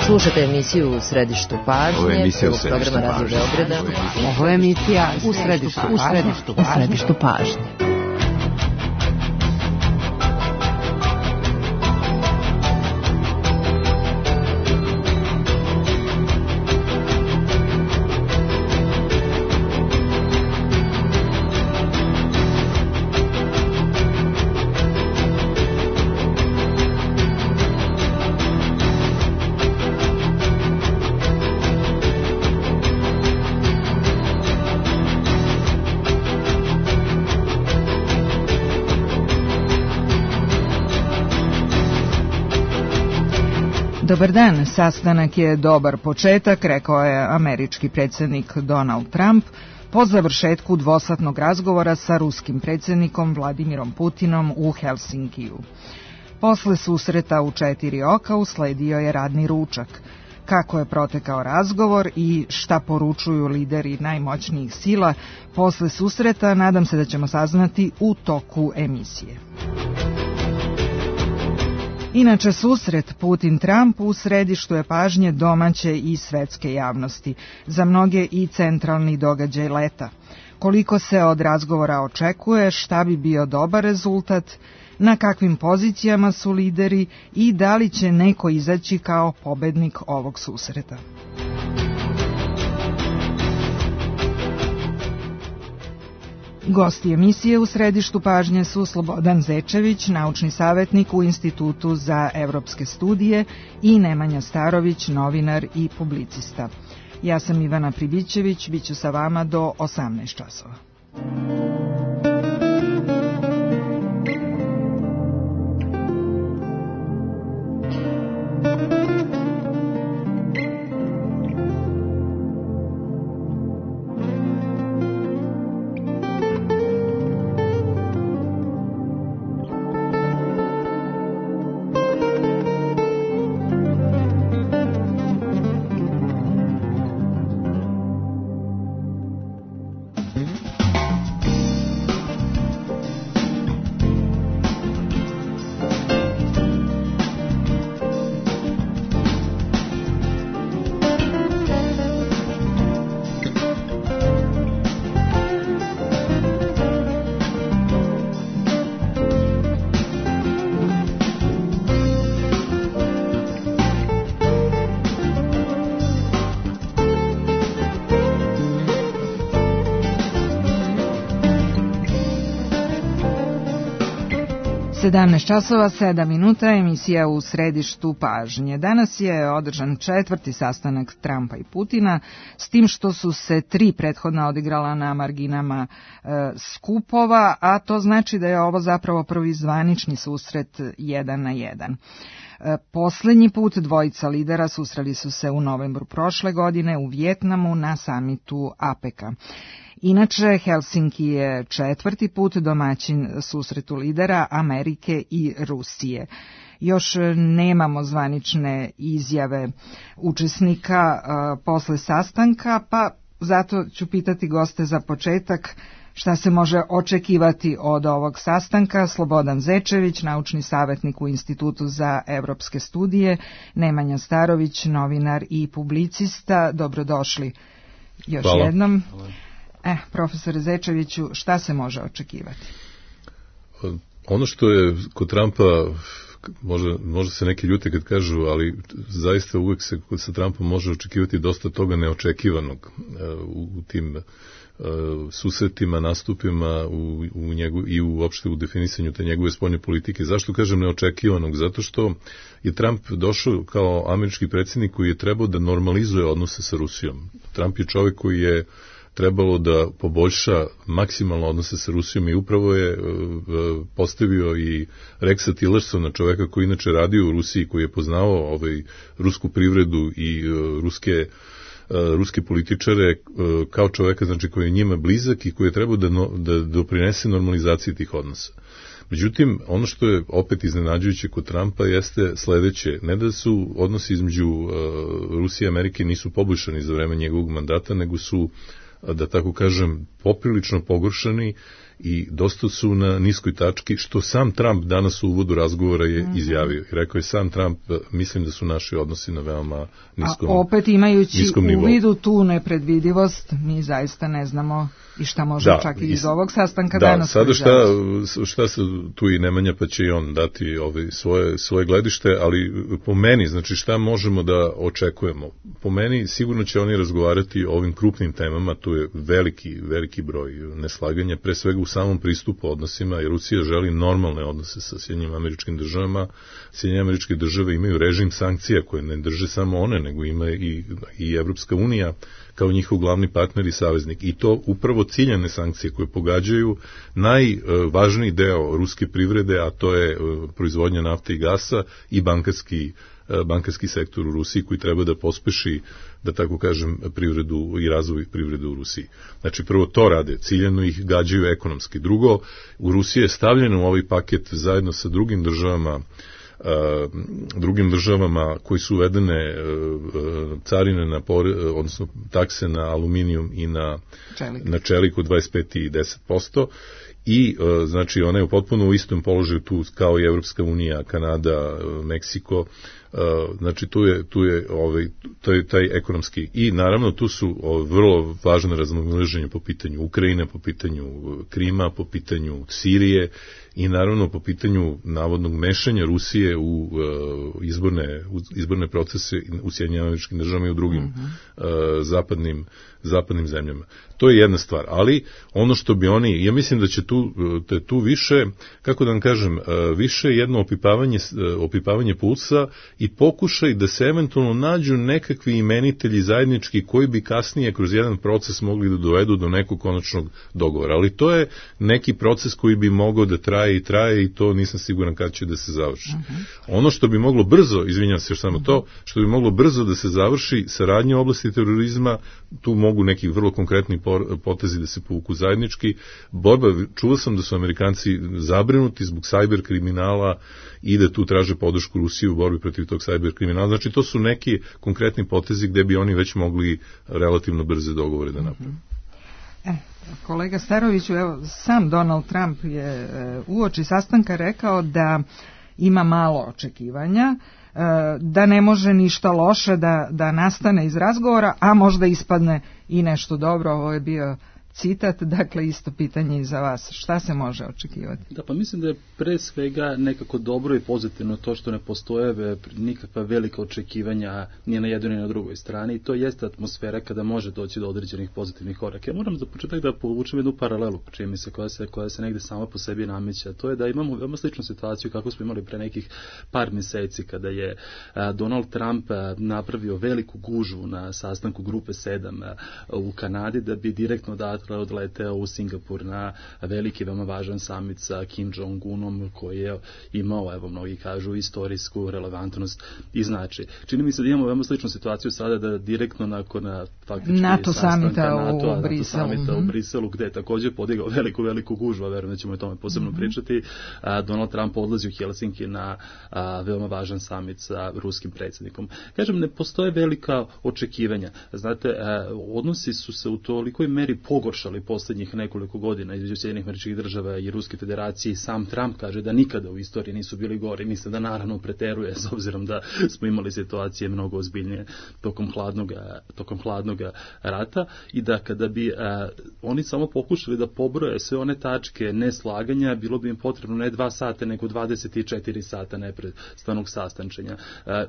Slušate emisiju U središtu pažnje, prvog programa Radio Beograda. Ovo je emisija U središtu pažnje. Dobar dan, sastanak je dobar početak, rekao je američki predsjednik Donald Trump po završetku dvosatnog razgovora sa ruskim predsjednikom Vladimirom Putinom u Helsinkiju. Posle susreta u 4 oka usledio je radni ručak. Kako je protekao razgovor i šta poručuju lideri najmoćnijih sila posle susreta, nadam se da ćemo saznati u toku emisije. Inače, susret Putin-Trump u središtu je pažnje domaće i svetske javnosti, za mnoge i centralni događaj leta. Koliko se od razgovora očekuje, šta bi bio dobar rezultat, na kakvim pozicijama su lideri i da li će neko izaći kao pobednik ovog susreta. Gosti emisije u središtu pažnje su Slobodan Zečević, naučni savjetnik u Institutu za evropske studije, i Nemanja Starović, novinar i publicista. Ja sam Ivana Pribićević, bit ću sa vama do 18 časova. časova 7 minuta, emisija U središtu pažnje. Danas je održan 4. sastanak Trumpa i Putina, s tim što su se 3 prethodna odigrala na marginama skupova, a to znači da je ovo zapravo prvi zvanični susret 1 na 1. Poslednji put dvojica lidera susreli su se u novembru prošle godine u Vijetnamu na samitu APEC-a. Inače, Helsinki je 4. put domaćin susretu lidera Amerike i Rusije. Još nemamo zvanične izjave učesnika posle sastanka, pa zato ću pitati goste za početak šta se može očekivati od ovog sastanka. Slobodan Zečević, naučni savjetnik u Institutu za evropske studije, Nemanja Starović, novinar i publicista. Dobrodošli još jednom. Profesore Zečeviću, šta se može očekivati? Ono što je kod Trumpa, može se neki ljute kad kažu, ali zaista uvek se sa Trumpom može očekivati dosta toga neočekivanog u tim susretima, nastupima i uopšte u definisanju te njegove spoljne politike. Zašto kažem neočekivanog? Zato što je Trump došao kao američki predsjednik koji je trebao da normalizuje odnose sa Rusijom. Trump je čovjek koji je trebalo da poboljša maksimalno odnose sa Rusijom i upravo je postavio i Rexa Tillersona, čoveka koji inače radio u Rusiji, koji je poznavao rusku privredu i ruske političare, kao čoveka, znači, koji je njima blizak i koji je trebao da doprinese normalizaciji tih odnosa. Međutim, ono što je opet iznenađujuće kod Trumpa jeste sledeće: ne da su odnosi između Rusije i Amerike nisu poboljšani za vreme njegovog mandata, nego su, da tako kažem, poprilično pogoršani i dosta su na niskoj tački, što sam Trump danas u uvodu razgovora je izjavio. I rekao je sam Trump, mislim da su naši odnosi na veoma niskom nivou. A opet imajući u vidu tu nepredvidivost, mi zaista ne znamo i šta može čak i iz ovog sastanka danas. Da, sada šta se tu i Nemanja, pa će i on dati svoje gledište, ali po meni, znači šta možemo da očekujemo? Po meni sigurno će oni razgovarati o ovim krupnim temama, tu je veliki broj neslaganja, pre svega u samom pristupu odnosima, jer Rusija želi normalne odnose sa Sjedinjenim Američkim Državama. Sjedinjene Američke Države imaju režim sankcija koje ne drže samo one, nego ima i Evropska unija kao njihov glavni partner i saveznik. I to upravo ciljane sankcije koje pogađaju najvažniji deo ruske privrede, a to je proizvodnja nafte i gasa i bankarski sektor u Rusiji koji treba da pospeši, da tako kažem, privredu i razvoj privrede u Rusiji. Znači, prvo to rade, ciljano ih gađaju ekonomski. Drugo, u Rusiji je stavljeno u ovaj paket zajedno sa drugim državama koji su uvedene carine odnosno takse na aluminijum i na čelik od 25 i 10%. I, znači, ona je potpuno u istom položaju tu kao i Evropska unija, Kanada, Meksiko, znači tu je taj ekonomski i naravno tu su vrlo važne razmimoilaženja po pitanju Ukrajine, po pitanju Krima, po pitanju Sirije i naravno po pitanju navodnog mešanja Rusije u izborne procese u Sjedinjenim Američkim Državama i u drugim zapadnim zemljama. To je jedna stvar, ali ono što bi oni, ja mislim da će tu više, kako da vam kažem, više jedno opipavanje pulsa i pokušaj da se eventualno nađu nekakvi imenitelji zajednički koji bi kasnije kroz jedan proces mogli da dovedu do nekog konačnog dogovora. Ali to je neki proces koji bi mogao da traje i to nisam siguran kad će da se završi. Ono što bi moglo brzo, izvinjam se još samo to, što bi moglo brzo da se završi saradnja u oblasti terorizma, tu mogu neki vrlo konkretni potezi da se povuku zajednički. Čuo sam da su Amerikanci zabrinuti zbog sajber kriminala i da tu traže podršku Rusije u borbi protiv tog sajber kriminala. Znači, to su neki konkretni potezi gde bi oni već mogli relativno brze dogovore da naprave. Kolega Staroviću, evo, sam Donald Trump je uoči sastanka rekao da ima malo očekivanja, da ne može ništa loše da nastane iz razgovora, a možda ispadne i nešto dobro. Ovo je bio citat, dakle isto pitanje i za vas. Šta se može očekivati? Da, pa mislim da je pre svega nekako dobro i pozitivno to što ne postoje nikakva velika očekivanja ni na jednoj ni na drugoj strani i to jeste atmosfera kada može doći do određenih pozitivnih koraka. Ja moram za početak da povučem jednu paralelu, čini mi se, koja se negde sama po sebi nameće, a to je da imamo veoma sličnu situaciju kako smo imali pre nekih par meseci kada je Donald Trump napravio veliku gužvu na sastanku grupe 7 u Kanadi da bi direktno odleteo u Singapur na veliki, veoma važan samit sa Kim Jong-unom koji je imao, evo mnogi kažu, istorijsku relevantnost i značaj. Čini mi se da imamo veoma sličnu situaciju sada da direktno nakon faktički NATO samita u Briselu, gde je također podigao veliku gužvu, a verujem da ćemo o tome posebno pričati, Donald Trump odlazi u Helsinki na veoma važan samit sa ruskim predsjednikom. Kažem, ne postoje velika očekivanja. Znate, odnosi su se u tolikoj meri pogoršali posljednjih nekoliko godina između Sjedinjenih Američkih Država i Ruske federacije. Sam Trump kaže da nikada u istoriji nisu bili gori. Mislim da naravno preteruje s obzirom da smo imali situacije mnogo ozbiljnije tokom hladnog rata i da kada bi oni samo pokušali da pobroje sve one tačke neslaganja, bilo bi im potrebno ne 2 sata nego 24 sata neprestanog sastančenja.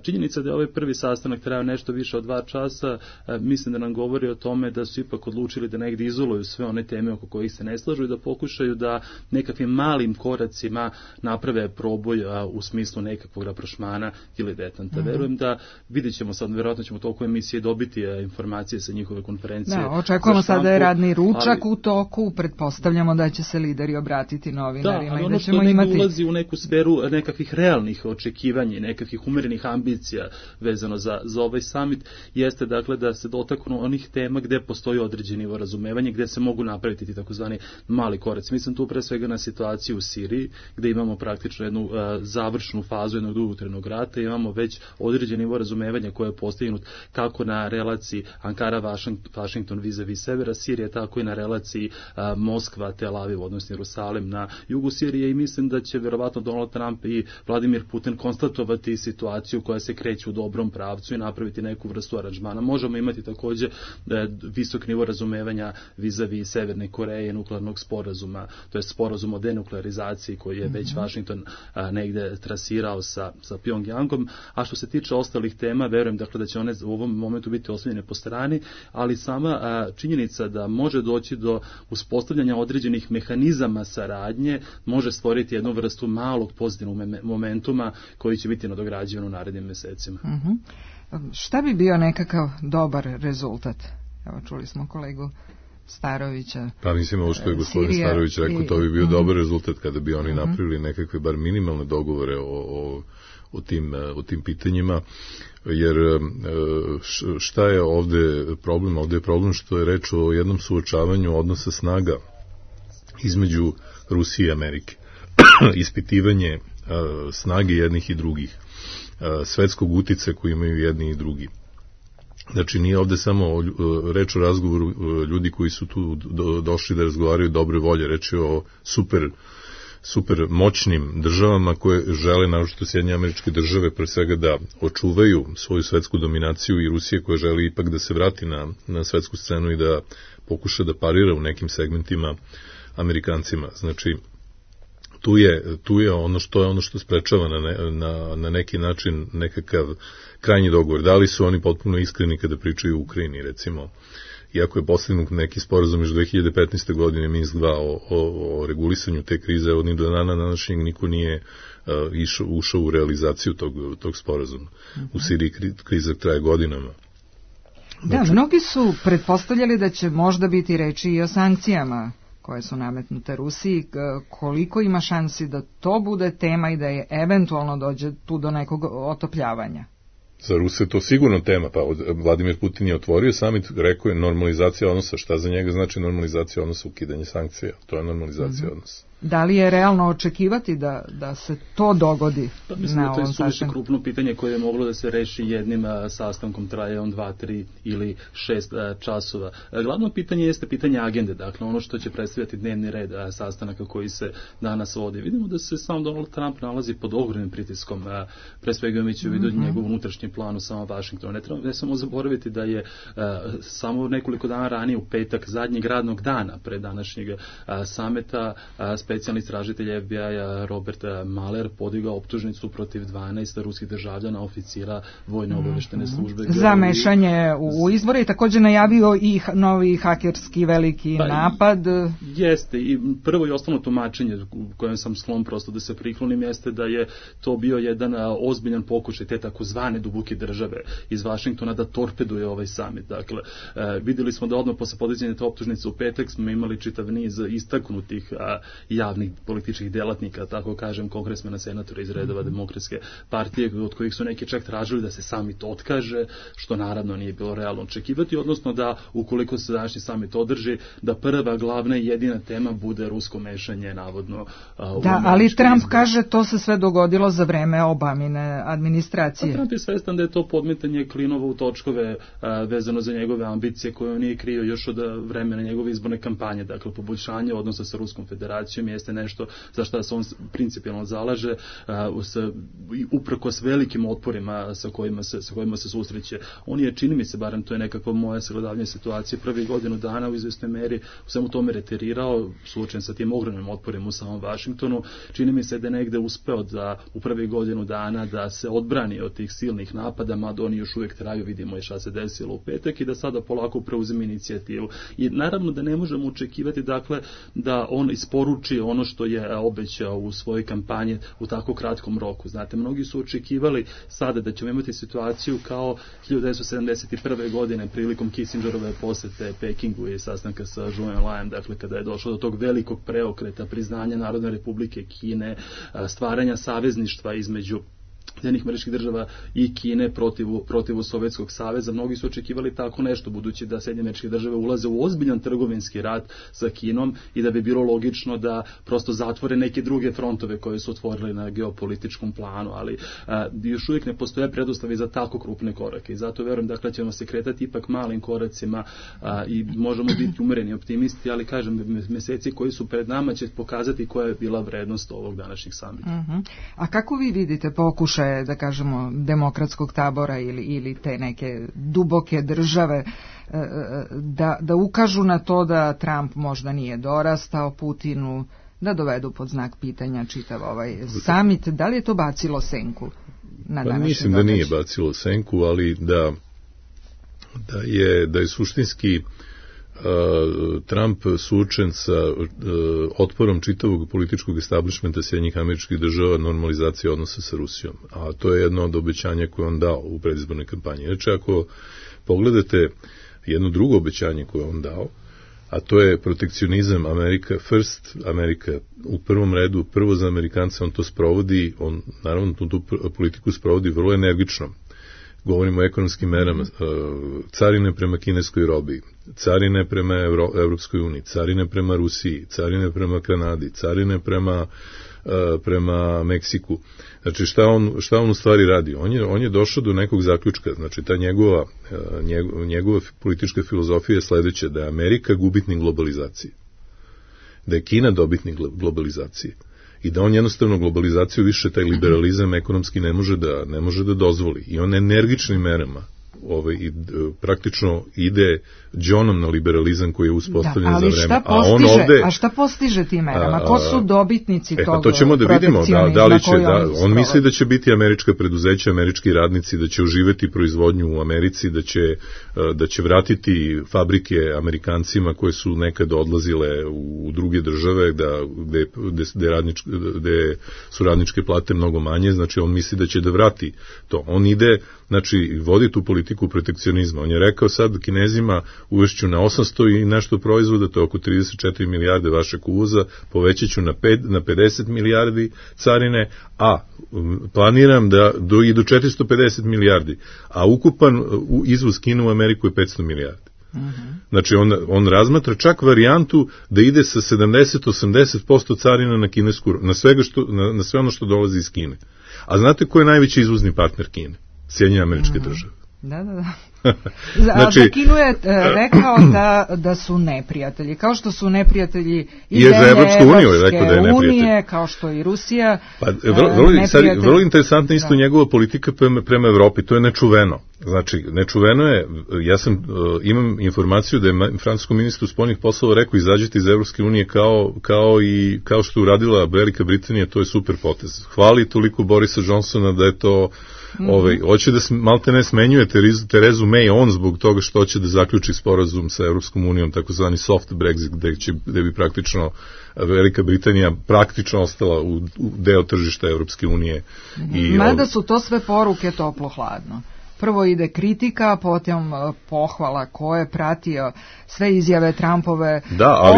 Činjenica da je ovaj prvi sastanak trajao nešto više od 2 časa, mislim da nam govori o tome da su ipak odlučili da negdje izoluju sve one teme oko kojih se ne slažu i da pokušaju da nekakvim malim koracima naprave proboj u smislu nekakvog raprošmana ili detanta. Verujem da vidjet ćemo sad, vjerojatno ćemo toliko emisije dobiti informacije sa njihove konferencije. Da, očekujemo sad da je radni ručak u toku, pretpostavljamo da će se lideri obratiti novinarima i da ćemo imati... ulazi u neku sferu nekakvih realnih očekivanja i nekakvih umerenih ambicija vezano za ovaj summit, jeste dakle da se dotaknu onih tema gde postoji određeni nivo razumevanja, gde se mogu napraviti ti takozvani mali koraci. Mislim tu pre svega na situaciju u Siriji, gde imamo praktično jednu završnu fazu jednog dugotrajnog rata, imamo već određeni nivo razumevanja koje je postignut kako na relaciji udara Vašington vis-a-vis severa Sirije, tako i na relaciji Moskva, Tel Aviv, odnosno Jerusalim na jugu Sirije, i mislim da će verovatno Donald Trump i Vladimir Putin konstatovati situaciju koja se kreće u dobrom pravcu i napraviti neku vrstu aranžmana. Možemo imati takođe visok nivo razumevanja vis-a-vis Severne Koreje, nuklearnog sporazuma, to je sporazum o denuklearizaciji koji je već Washington negde trasirao sa Pyongyangom, a što se tiče ostalih tema, verujem dakle da će one u ovom momentu biti ostavljene po strani, ali sama činjenica da može doći do uspostavljanja određenih mehanizama saradnje može stvoriti jednu vrstu malog pozitivnog momentuma koji će biti nadograđivan u narednim mesecima. Šta bi bio nekakav dobar rezultat? Evo, čuli smo kolegu Starovića. Pa mislim, ovo što je gospodin Starović rekao, to bi bio dobar rezultat kada bi oni napravili nekakve bar minimalne dogovore o tim pitanjima, jer šta je ovde problem? Ovde je problem što je reč o jednom suočavanju odnosa snaga između Rusije i Amerike. Ispitivanje snage jednih i drugih, svetskog uticaja koji imaju jedni i drugi. Znači, nije ovde samo reč o razgovoru ljudi koji su tu došli da razgovaraju dobre volje, reč je o super moćnim državama koje žele, naročito Sjedinjene Američke Države, pre svega da očuvaju svoju svetsku dominaciju, i Rusije koja želi ipak da se vrati na svetsku scenu i da pokuša da parira u nekim segmentima Amerikancima. Znači, tu je ono što sprečava na neki način nekakav krajnji dogovor. Da li su oni potpuno iskreni kada pričaju o Ukrajini, recimo, iako je postignut neki sporazum još 2015. godine Minsk 2 o regulisanju te krize, od ni do dana današnjeg niko nije ušao u realizaciju tog sporazuma. U Siriji kriza traje godinama. Da, mnogi su pretpostavljali da će možda biti reči i o sankcijama koje su nametnute Rusiji. Koliko ima šansi da to bude tema i da je eventualno dođe tu do nekog otopljavanja? Za Ruse je to sigurno tema, pa Vladimir Putin je otvorio samit, rekao je normalizacija odnosa. Šta za njega znači normalizacija odnosa? Ukidanje sankcija, to je normalizacija odnosa. Da li je realno očekivati da se to dogodi na ovom sastanku? To je suviše krupno pitanje koje je moglo da se reši jednim sastankom, traje on 2, 3 ili 6 časova. Glavno pitanje jeste pitanje agende, dakle ono što će predstavljati dnevni red sastanaka koji se danas vodi. Vidimo da se sam Donald Trump nalazi pod ogromnim pritiskom, pre svega imajući u vidu njegov unutrašnji plan u samom Vašingtonu. Ne samo zaboraviti da je samo nekoliko dana ranije, u petak, zadnjeg radnog dana pre današnjeg sameta, specijalni istražitelj FBI-a Robert Mueller podigao optužnicu protiv 12 ruskih državljana, oficira vojne obaveštene službe. Za mešanje u izbore i također najavio i novi hakerski veliki napad. Jeste, i prvo i osnovno tumačenje kojem sam sklon prosto da se priklonim jeste da je to bio jedan ozbiljan pokušaj te takozvane duboke države iz Vašingtona da torpeduje ovaj samit. Dakle, videli smo da odmah posle podizanja te optužnice u petak smo imali čitav niz istaknutih javnih političkih delatnika, tako kažem, kongresmena, senatora iz redova Demokratske partije, od kojih su neki čak tražili da se samit otkaže, što naravno nije bilo realno očekivati, odnosno da ukoliko se današnji samit održi, da prva, glavna i jedina tema bude rusko mešanje, navodno. Da, ali Trump kaže to se sve dogodilo za vreme Obamine administracije. Trump je svestan da je to podmetanje klinova u točkove vezano za njegove ambicije koje on nije krio još od vremena njegove izborne kampanje. Dakle, poboljšanje odnosa sa Ruskom federacijom jeste nešto za što se on principijalno zalaže, uprkos velikim otporima sa kojima se susreće. On je, čini mi se, barem to je nekako moje sagledavanje situacije, prvih godinu dana u izvesnoj meri u svemu tome reterirao, suočen sa tim ogromnim otporima u samom Vašingtonu. Čini mi se da je negde uspeo da u prvih godinu dana da se odbrani od tih silnih napada, mada oni još uvijek traju, vidimo je šta se desilo u petak, i da sada polako preuzme inicijativu. I naravno da ne možemo očekivati, dakle, da on isporuči ono što je obećao u svojoj kampanji u tako kratkom roku. Znate, mnogi su očekivali sada da ćemo imati situaciju kao 1971. godine prilikom Kissingerove posete Pekingu i sastanka sa Zhou Enlaiem, dakle kada je došlo do tog velikog preokreta, priznanja Narodne Republike Kine, stvaranja savezništva između Sjedinjenih Američkih Država i Kine protiv Sovjetskog saveza. Mnogi su očekivali tako nešto, budući da Sjedinjene Američke Države ulaze u ozbiljan trgovinski rat sa Kinom i da bi bilo logično da prosto zatvore neke druge frontove koje su otvorili na geopolitičkom planu, ali još uvijek ne postoje preduslovi za tako krupne korake i zato verujem da ćemo se kretati ipak malim koracima i možemo biti umereni optimisti, ali kažem, meseci koji su pred nama će pokazati koja je bila vrednost ovog današnjeg samita. A kako vi vidite pokušaje, da kažemo, demokratskog tabora ili te neke duboke države da ukažu na to da Trump možda nije dorastao Putinu, da dovedu pod znak pitanja čitav ovaj samit? Da li je to bacilo senku na današnji Mislim da nije bacilo senku, ali da je suštinski Trump suočen sa otporom čitavog političkog establishmenta Sjedinjenih Američkih Država normalizacije odnosa sa Rusijom. A to je jedno od obećanja koje on dao u predizbornoj kampanji. Znači, ako pogledate jedno drugo obećanje koje on dao, a to je protekcionizam America First, Amerika u prvom redu, prvo za Amerikanca, on to sprovodi, on naravno tu politiku sprovodi vrlo energično. Govorimo o ekonomskim merama, carine prema kineskoj robi, carine prema Evropskoj uniji, carine prema Rusiji, carine prema Kanadi, carine prema Meksiku. Znači šta on u stvari radi? On je došao do nekog zaključka, znači ta njegova politička filozofija je sledeća, da je Amerika gubitnik globalizacije, da je Kina dobitnik globalizacije. I da on jednostavno globalizaciju više, taj liberalizam ekonomski ne može da dozvoli. I on energičnim merama praktično ide džonom na liberalizam koji je uspostavljen za vreme. A šta postiže tim merama? Ko su dobitnici tog to ćemo da vidimo, da li će, on misli da će biti američka preduzeća, američki radnici, da će oživeti proizvodnju u Americi, da će vratiti fabrike Amerikancima koje su nekad odlazile u druge države, gde su radničke plate mnogo manje, znači on misli da će da vrati to. On ide, znači, vodi tu politiku protekcionizma. On je rekao sad Kinezima uvešću na 800 i nešto proizvoda, to je oko 34 milijarde vašeg uvoza, povećat ću na 50 milijardi carine, a planiram da i do 450 milijardi, a ukupan izvoz Kine u Ameriku je 500 milijardi. Znači on razmatra čak varijantu da ide sa 70-80% carina na kinesku, na sve ono što dolazi iz Kine. A znate ko je najveći izvozni partner Kine? Sjedinjene Američke Države. Da. Znači, za Kinu je rekao da su neprijatelji, kao što su neprijatelji i Evropske unije, kao što i Rusija. Vrlo interesantna isto njegova politika prema Evropi, to je nečuveno. Znači, nečuveno je, imam informaciju da je francuskom ministru spoljnih poslova rekao izađite iz Evropske unije kao što uradila Velika Britanija, to je super potez. Hvali toliko Borisa Johnsona da je to hoće da malte ne smenjuje Terezu May on zbog toga što hoće da zaključi sporazum sa Evropskom unijom, takozvani soft Brexit, gde bi praktično Velika Britanija praktično ostala u deo tržišta Evropske unije. Mada su to sve poruke toplo-hladno. Prvo ide kritika, potom pohvala ko je pratio sve izjave Trumpove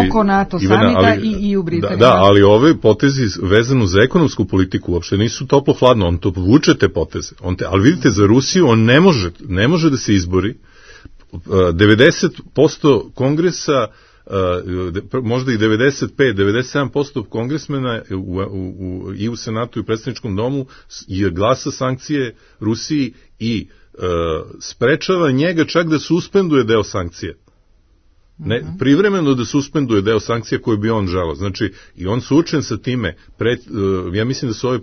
oko NATO samita i u Britaniji. Da, ali ove potezi vezano za ekonomsku politiku uopšte nisu toplo-hladno, on to vuče te poteze. Ali vidite, za Rusiju on ne može da se izbori. 90% kongresa, možda i 95-97% kongresmena i u Senatu i u predstavničkom domu je glasa sankcije Rusiji i sprečava njega čak da suspenduje deo sankcije. Privremeno da suspenduje deo sankcija koje bi on želeo. Znači, i on suočen sa time, ja mislim da su ove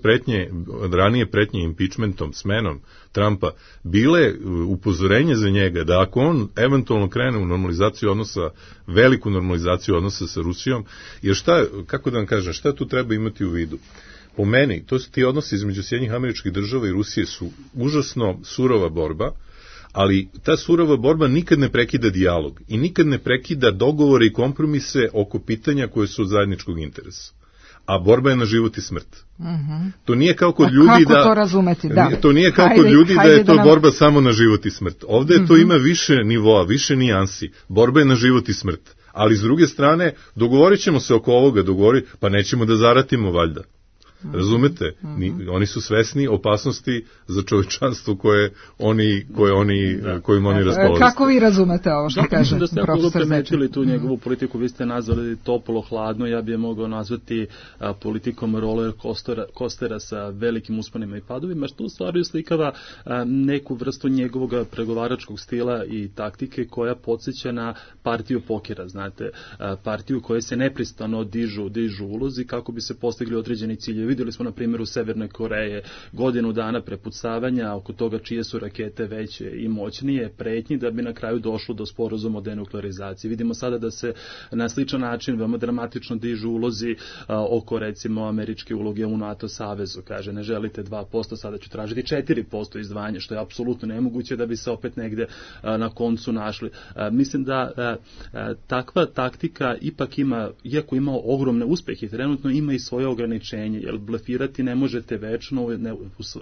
ranije pretnje impeachmentom, smenom Trumpa, bile upozorenje za njega da ako on eventualno krene u normalizaciju odnosa, veliku normalizaciju odnosa sa Rusijom, jer kako da vam kažem, šta tu treba imati u vidu? Po meni, ti odnosi između Sjedinjenih Američkih Država i Rusije su užasno surova borba, ali ta surova borba nikad ne prekida dijalog i nikad ne prekida dogovore i kompromise oko pitanja koje su od zajedničkog interesa. A borba je na život i smrt. To nije kao kod ljudi kako to razumeti? To nije kao kod ljudi da je to borba samo na život i smrt. Ovde to ima više nivoa, više nijansi. Borba je na život i smrt. Ali s druge strane, dogovorit ćemo se oko ovoga, pa nećemo da zaratimo valjda. Razumete? Oni su svesni opasnosti za čovečanstvo kojim oni raspolažu. Kako vi razumete ovo što kaže da ste profesor Zečin? Tu njegovu politiku vi ste nazvali toplo, hladno, ja bih je mogao nazvati politikom roller coastera sa velikim usponima i padovima, što u stvari slikava neku vrstu njegovog pregovaračkog stila i taktike koja podsjeća na partiju pokera, znate, partiju koje se neprestano dižu ulozi kako bi se postigli određeni ciljevi. Vidjeli smo na primjeru Severne Koreje godinu dana prepucavanja oko toga čije su rakete veće i moćnije, pretnji da bi na kraju došlo do sporazuma o denuklearizaciji. Vidimo sada da se na sličan način veoma dramatično dižu ulozi oko recimo američke uloge u NATO savezu. Kaže, ne želite 2%, sada ću tražiti 4% izdvajanja, što je apsolutno nemoguće da bi se opet negde na koncu našli. Mislim da takva taktika ipak ima, iako ima ogromne uspehe, trenutno ima i svoje ograničenje, jer blefirati ne možete večno,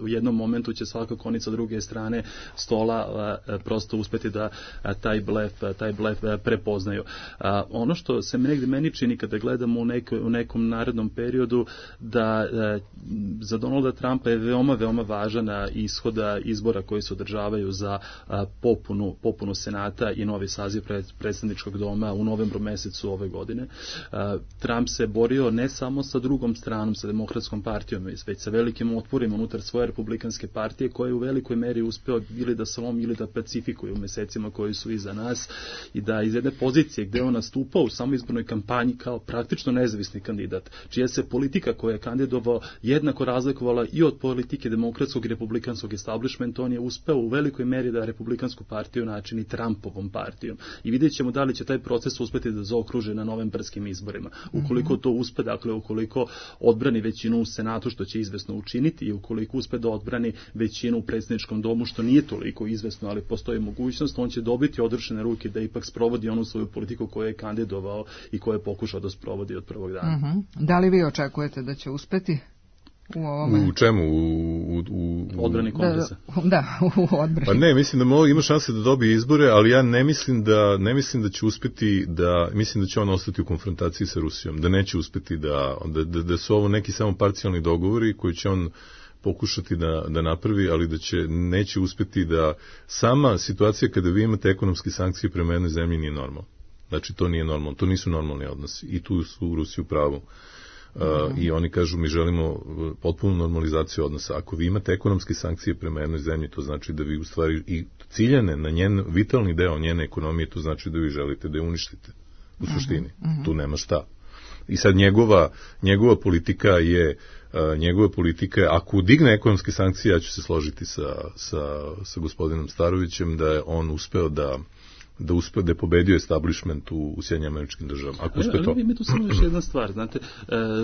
u jednom momentu će svaka konica sa druge strane stola prosto uspeti da taj blef prepoznaju. Ono što se meni čini kada gledamo u nekom narednom periodu, da za Donalda Trumpa je veoma važan ishoda izbora koji se održavaju za popunu Senata i novi saziv predsjedničkog doma u novembru mesecu ove godine. Trump se borio ne samo sa drugom stranom, sa demokratskom partijom, već sa velikim otporima unutar svoje republikanske partije, koje je u velikoj meri uspeo ili da slomi ili da pacifikuju u mesecima koji su iza nas, i da iz jedne pozicije gde on nastupao u samoizbornoj kampanji kao praktično nezavisni kandidat, čija se politika koja je kandidovao jednako razlikovala i od politike demokratskog i republikanskog establishmenta, on je uspeo u velikoj meri da republikansku partiju načini Trumpovom partijom. I vidjet ćemo da li će taj proces uspeti da zaokruže na novembarskim izborima. Ukoliko to uspe, dakle, ukoliko odbrani većinu u Senatu, što će izvesno učiniti, i ukoliko uspe da odbrani većinu u predsjedničkom domu, što nije toliko izvesno, ali postoji mogućnost, on će dobiti odrešene ruke da ipak sprovodi onu svoju politiku koju je kandidovao i koju je pokušao da sprovodi od prvog dana. Da li vi očekujete da će uspeti u ovome? U čemu? U odbrani kongresa. Da, u odbrani. Pa ne, mislim da ima šanse da dobije izbore, ali ja ne mislim da će uspeti mislim da će on ostati u konfrontaciji sa Rusijom, da neće uspeti da su ovo neki samo parcijalni dogovori koji će on pokušati da napravi, ali neće uspeti da sama situacija kada vi imate ekonomske sankcije prema jednoj zemlji nije normalna. Znači, to nije normalno, to nisu normalni odnosi i tu su u Rusiji u pravu. I oni kažu, mi želimo potpunu normalizaciju odnosa. Ako vi imate ekonomske sankcije prema jednoj zemlji, to znači da vi u stvari i ciljane na njen vitalni deo njene ekonomije, to znači da vi želite da je uništite u suštini. Tu nema šta. I sad njegova politika je ako digne ekonomske sankcije, ja ću se složiti sa gospodinom Starovićem da je on uspeo da je pobedio establishment u Sjedinjenim Američkim Državama. Ako uspe to. Ali ima tu samo još jedna stvar. Znate,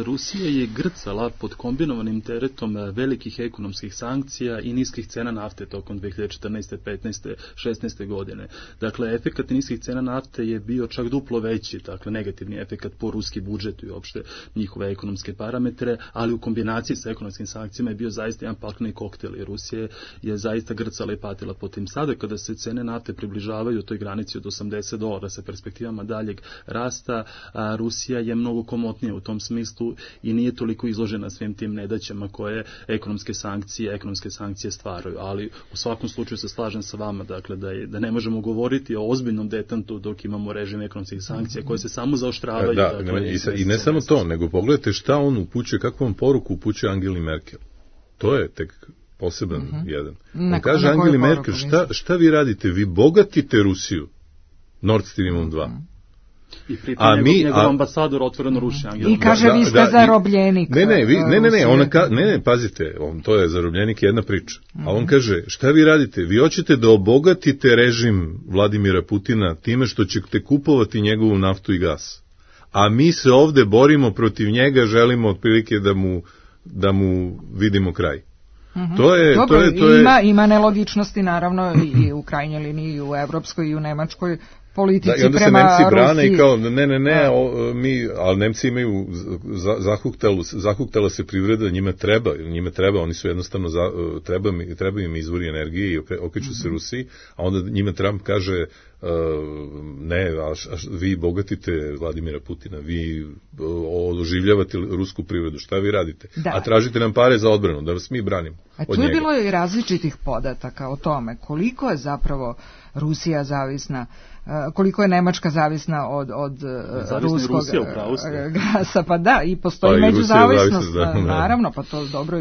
Rusija je grcala pod kombinovanim teretom velikih ekonomskih sankcija i niskih cena nafte tokom 2014. 15. 16. godine. Dakle, efekat niskih cena nafte je bio čak duplo veći, dakle, negativni efekat po ruski budžet i uopšte njihove ekonomske parametre, ali u kombinaciji sa ekonomskim sankcijama je bio zaista jedan pakleni koktel i Rusija je zaista grcala i patila po tim. Sada, kada se cene nafte približavaju toj granici od $80 sa perspektivama daljeg rasta, Rusija je mnogo komotnija u tom smislu i nije toliko izložena svim tim nedaćama koje ekonomske sankcije stvaraju. Ali u svakom slučaju se slažem sa vama, dakle, da ne možemo govoriti o ozbiljnom detantu dok imamo režim ekonomskih sankcija koje se samo zaoštravaju. I ne samo to, nego pogledajte šta on upućuje, kakvu on poruku upućuje Angeli Merkel. To je tek poseban jedan. On kaže Angeli Merkel, šta vi radite? Vi bogatite Rusiju Nord Streamom 2. I pritom njegov ambasador otvoreno ruši Angela. I kaže, vi ste zarobljenik. Ne, pazite, to je zarobljenik jedna priča. A on kaže, šta vi radite? Vi hoćete da obogatite režim Vladimira Putina time što ćete kupovati njegovu naftu i gas. A mi se ovde borimo protiv njega, želimo otprilike da mu vidimo kraj. Ima nelogičnosti naravno i u krajnjoj liniji, i u evropskoj i u nemačkoj politici prema Rusiji. I onda se Nemci brane i kao, ali Nemci imaju, zahuktala se privreda, njima treba, oni su jednostavno, treba im izvori energije i okreću se Rusiji, a onda njima Trump kaže, ne, vi bogatite Vladimira Putina, vi oživljavate rusku privredu, šta vi radite? Da. A tražite nam pare za odbranu, da vas mi branimo. A tu je bilo i različitih podataka o tome koliko je zapravo Rusija zavisna, koliko je Nemačka zavisna od ruskog gasa, pa da, i postoji međuzavisnost, naravno, pa to dobro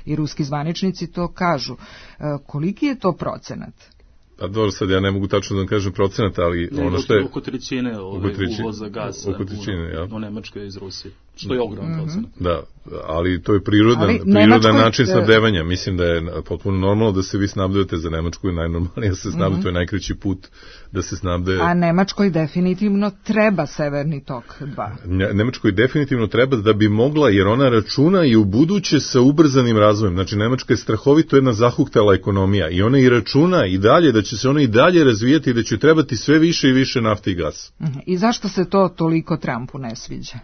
i ruski zvaničnici to kažu. Koliki je to procenat? Pa dobro, sad ja ne mogu tačno da vam kažem procenat, ali ono što je... Oko trećine uvoza gasa u Nemačkoj iz Rusije, što je ogroman procenat. Da, ali to je prirodan način snabdevanja. Mislim da je potpuno normalno da se vi snabdevate za Nemačku, je najnormalnije da se snabde, to je najkraći put da se snabde... A Nemačkoj definitivno treba Severni tok 2. Nemačkoj definitivno treba da bi mogla, jer ona računa i u buduće sa ubrzanim razvojem. Znači, Nemačka je strahovito jedna zahuktala ekonomija i ona i računa i dalje da će se ona i dalje razvijati i da će trebati sve više i više nafte i gasa. I zašto se to toliko Trumpu ne sviđa?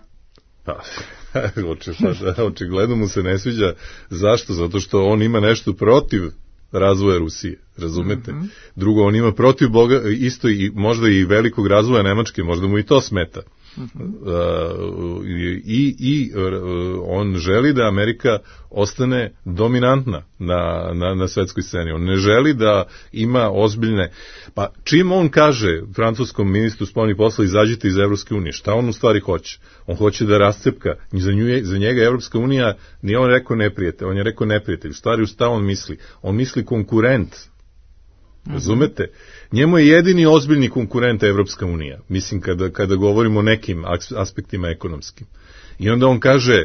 Pa, očigledno mu se ne sviđa. Zašto? Zato što on ima nešto protiv razvoja Rusije, razumete? Drugo, on ima protiv isto i možda i velikog razvoja Nemačke, možda mu i to smeta. On želi da Amerika ostane dominantna na svetskoj sceni. On ne želi da ima ozbiljne... Pa čim on kaže francuskom ministru spoljnih posla izađite iz Evropske unije, šta on u stvari hoće? On hoće da rascepka. Za njega Evropska unija, nije on rekao neprijatelj, on je rekao neprijatelj. U stvari, šta on misli? On misli konkurent. Razumete? Njemu je jedini ozbiljni konkurent Evropska unija, mislim kada govorimo o nekim aspektima ekonomskim. I onda on kaže,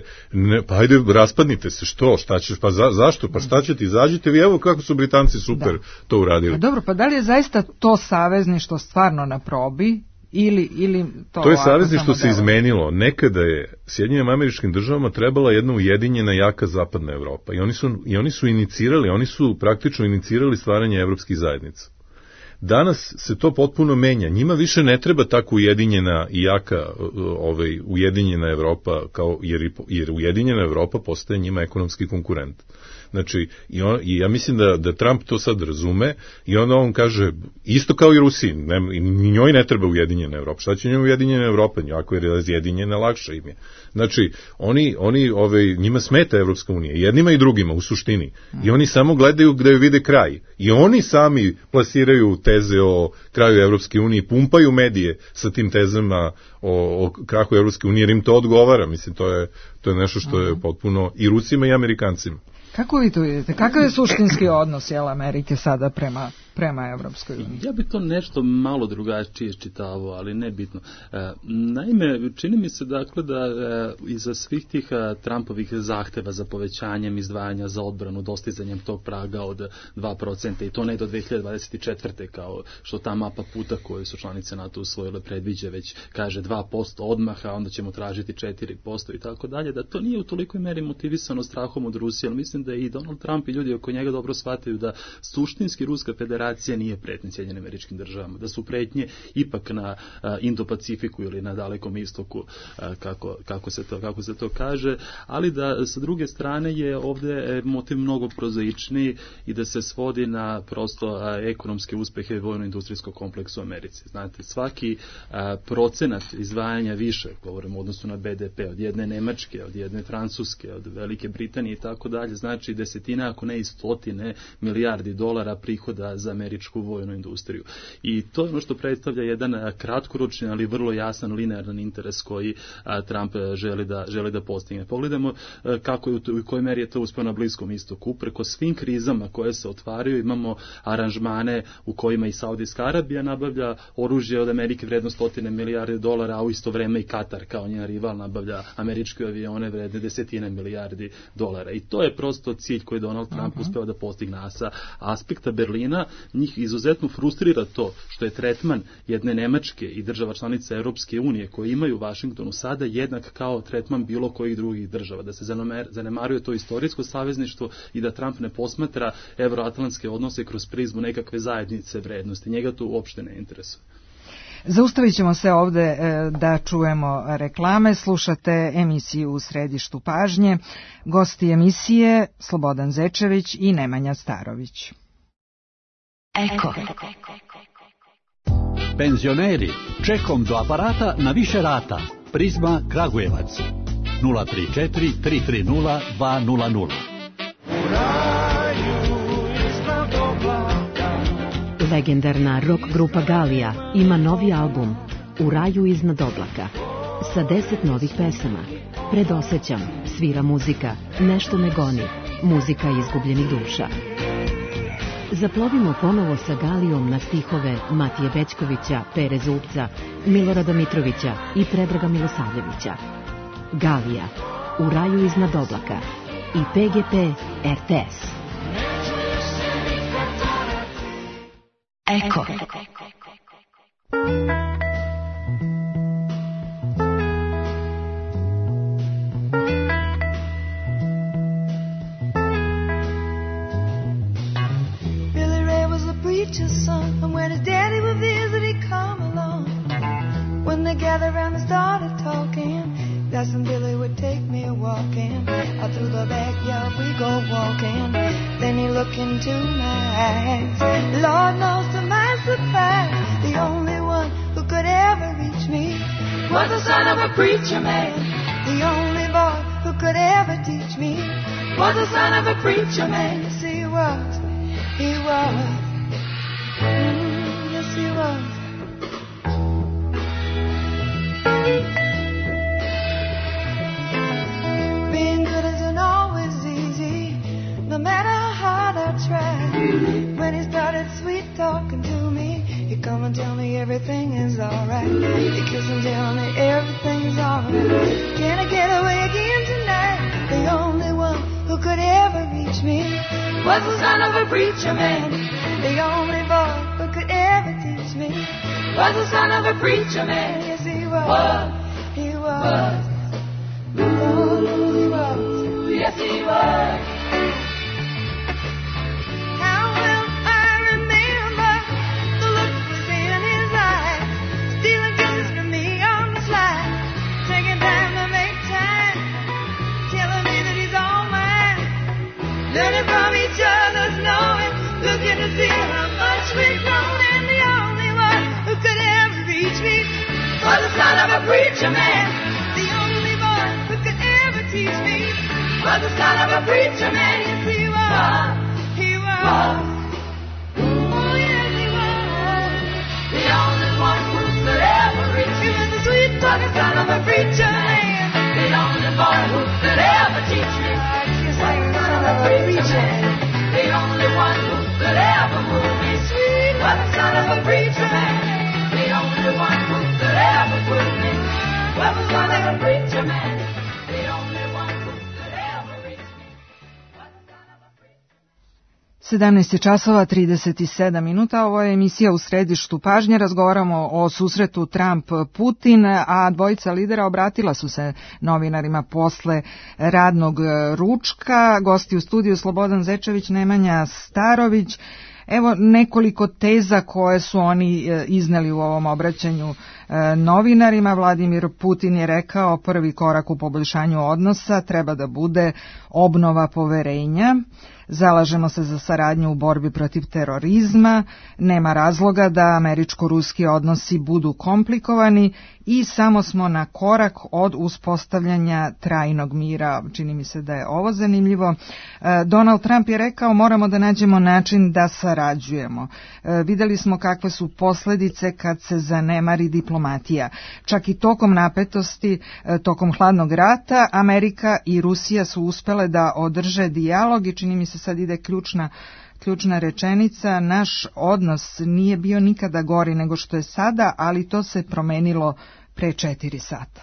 pa ajde raspadnite se, šta ćeš, pa zašto, pa šta ćete, izađite vi, evo kako su Britanci super to uradili. A dobro, pa da li je zaista to savezništvo stvarno na probi? Ili to je savezništvo se izmenilo. Nekada je Sjedinjenim Američkim Državama trebala jedna ujedinjena jaka zapadna Evropa i oni su inicirali, oni su praktično inicirali stvaranje evropskih zajednica. Danas se to potpuno menja. Njima više ne treba tako ujedinjena i jaka ujedinjena Evropa, jer ujedinjena Evropa postaje njima ekonomski konkurent. Znači, i ja mislim da Trump to sad razume i onda on kaže, isto kao i Rusiji, ni njoj ne treba ujedinjena Evropa. Šta će njoj ujedinjena Evropa? Ako je razjedinjena, lakše im je. Znači, njima smeta Evropska unija, jednima i drugima u suštini. I oni samo gledaju gde joj vide kraj. I oni sami plasiraju teze o kraju Evropske unije, pumpaju medije sa tim tezama o krahu Evropske unije, jer im to odgovara. Mislim, to je nešto što je potpuno i Rusima i Amerikancima. Kako vi to vidite? Kakav je suštinski odnos Amerike sada prema Evropskoj uniji? Ja bi to nešto malo drugačije čitavao, ali ne bitno. Naime, čini mi se dakle da iza svih tih Trumpovih zahteva za povećanjem izdvajanja za odbranu, dostizanjem tog praga od 2% i to ne do 2024. kao što ta mapa puta koju su članice NATO usvojile predviđa, već kaže 2% odmah, a onda ćemo tražiti 4% i tako dalje, da to nije u tolikoj meri motivisano strahom od Rusije, ali mislim da i Donald Trump i ljudi oko njega dobro shvataju da suštinski Ruska federacija nije pretnja Sjedinjenim Američkim Državama, da su pretnje ipak na Indo-Pacifiku ili na Dalekom istoku, kako se to kaže, ali da sa druge strane je ovdje motiv mnogo prozaičniji i da se svodi na prosto ekonomske uspehe vojno-industrijskog kompleksa u Americi. Znate, svaki procenat izdvajanja više, govorimo u odnosu na BDP, od jedne Nemačke, od jedne Francuske, od Velike Britanije i tako dalje, znači desetine, ako ne i stotine milijardi dolara prihoda za američku vojnu industriju. I to je ono što predstavlja jedan kratkoročni, ali vrlo jasan linearan interes koji Trump želi da postigne. Pogledajmo kako je u kojoj meri je to uspio na Bliskom istoku. Preko svim krizama koje se otvaraju imamo aranžmane u kojima i Saudijska Arabija nabavlja oružje od Amerike vredno stotine milijardi dolara, a u isto vreme i Katar kao njen rival nabavlja američke avione vredne desetine milijardi dolara. I to je prosto cilj koji Donald Trump uspeo da postigne. A sa aspekta Berlina njih izuzetno frustrira to što je tretman jedne Nemačke i država članica Europske unije koje imaju u Vašingtonu sada jednak kao tretman bilo kojih drugih država. Da se zanemaruje to istorijsko savezništvo i da Trump ne posmatra evroatlantske odnose kroz prizmu nekakve zajednice vrednosti. Njega to uopšte ne interesuje. Zaustavit ćemo se ovde da čujemo reklame. Slušate emisiju U središtu pažnje. Gosti emisije Slobodan Zečević i Nemanja Starović. Eko. Penzioneri, čekom do aparata na više rata. Prizma Kragujevac 034 330 200. Legendarna rock grupa Galija ima novi album U raju iznad oblaka sa 10 novih pesama. Predosećam, svira muzika, nešto me goni, muzika izgubljenih duša. Zaplovimo ponovo sa Galijom na stihove Matije Bećkovića, Pere Zupca, Milorada Mitrovića i Predraga Milosavljevića. Galija, U raju iznad oblaka i PGP RTS. Eko. Son, and when his daddy would visit, he'd come along. When they gathered around and started talking, that's when Billy would take me walking. Out through the backyard we go walking. Then he looked into my eyes. Lord knows to my surprise, the only one who could ever reach me was the son of a preacher man. The only boy who could ever teach me was the son of a preacher man. Yes, he was. He was. Yes, he was. Being good isn't always easy, no matter how hard I try. When he started sweet talking to me, he'd come and tell me everything is alright. He'd kiss and tell me everything's alright. Can I get away again tonight? The only one who could ever reach me was the son of a preacher man. The only boy who could ever teach me was the son of a preacher man. Yes, he was. He was. Oh, he was. Yes, he was. How will I remember the look was in his eyes, stealing kisses from me on the slide, taking time to make time, telling me that he's all mine, learning from each other's knowing, looking to see how much we've grown, and the only one who could ever reach me was the son of a preacher man. The only boy who could ever teach me was the son of a preacher man. Yes, he was. He was. Oh, yes, he was. The only one who could ever reach me was the sweet talking son of a preacher man. The only boy who could ever teach me was the son of a preacher man. The only one who could ever move me sweet was the son of a preacher man. The only one who could ever prove me was the son of a preacher man. The only one who could ever reach me was the son of a preacher man. 17 časova 37 minuta, ovo je emisija U središtu pažnje, razgovaramo o susretu Trump-Putin, a dvojica lidera obratila su se novinarima posle radnog ručka. Gosti u studiju Slobodan Zečević, Nemanja Starović. Evo nekoliko teza koje su oni izneli u ovom obraćanju novinarima. Vladimir Putin je rekao prvi korak u poboljšanju odnosa treba da bude obnova poverenja. Zalažemo se za saradnju u borbi protiv terorizma, nema razloga da američko-ruski odnosi budu komplikovani i samo smo na korak od uspostavljanja trajnog mira. Čini mi se da je ovo zanimljivo. Donald Trump je rekao moramo da nađemo način da sarađujemo. Videli smo kakve su posljedice kad se zanemari diplomatija. Čak i tokom napetosti, tokom hladnog rata, Amerika i Rusija su uspele da održe dijalog i čini mi se sad ide ključna rečenica, naš odnos nije bio nikada gori nego što je sada, ali to se promenilo pre 4 sata.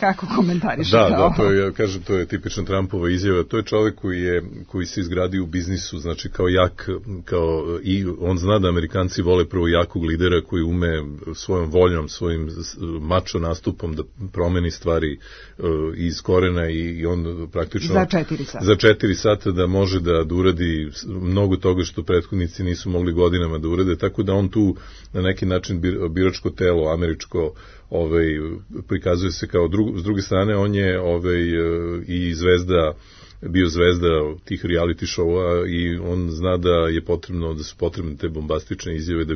Kako komentarišete ovo? Da, to je, ja kažem, to je tipična Trumpova izjava. To je čovjek koji se izgradio u biznisu, znači kao jak, i on zna da Amerikanci vole prvo jakog lidera koji ume svojom voljom, svojim mačo nastupom da promeni stvari iz korena i on praktično za 4 sata da može da uradi mnogo toga što prethodnici nisu mogli godinama da urade, tako da on tu na neki način biračko telo američko prikazuje se kao s druge strane on je i zvezda bio zvezda tih reality showa i on zna da su potrebne te bombastične izjave da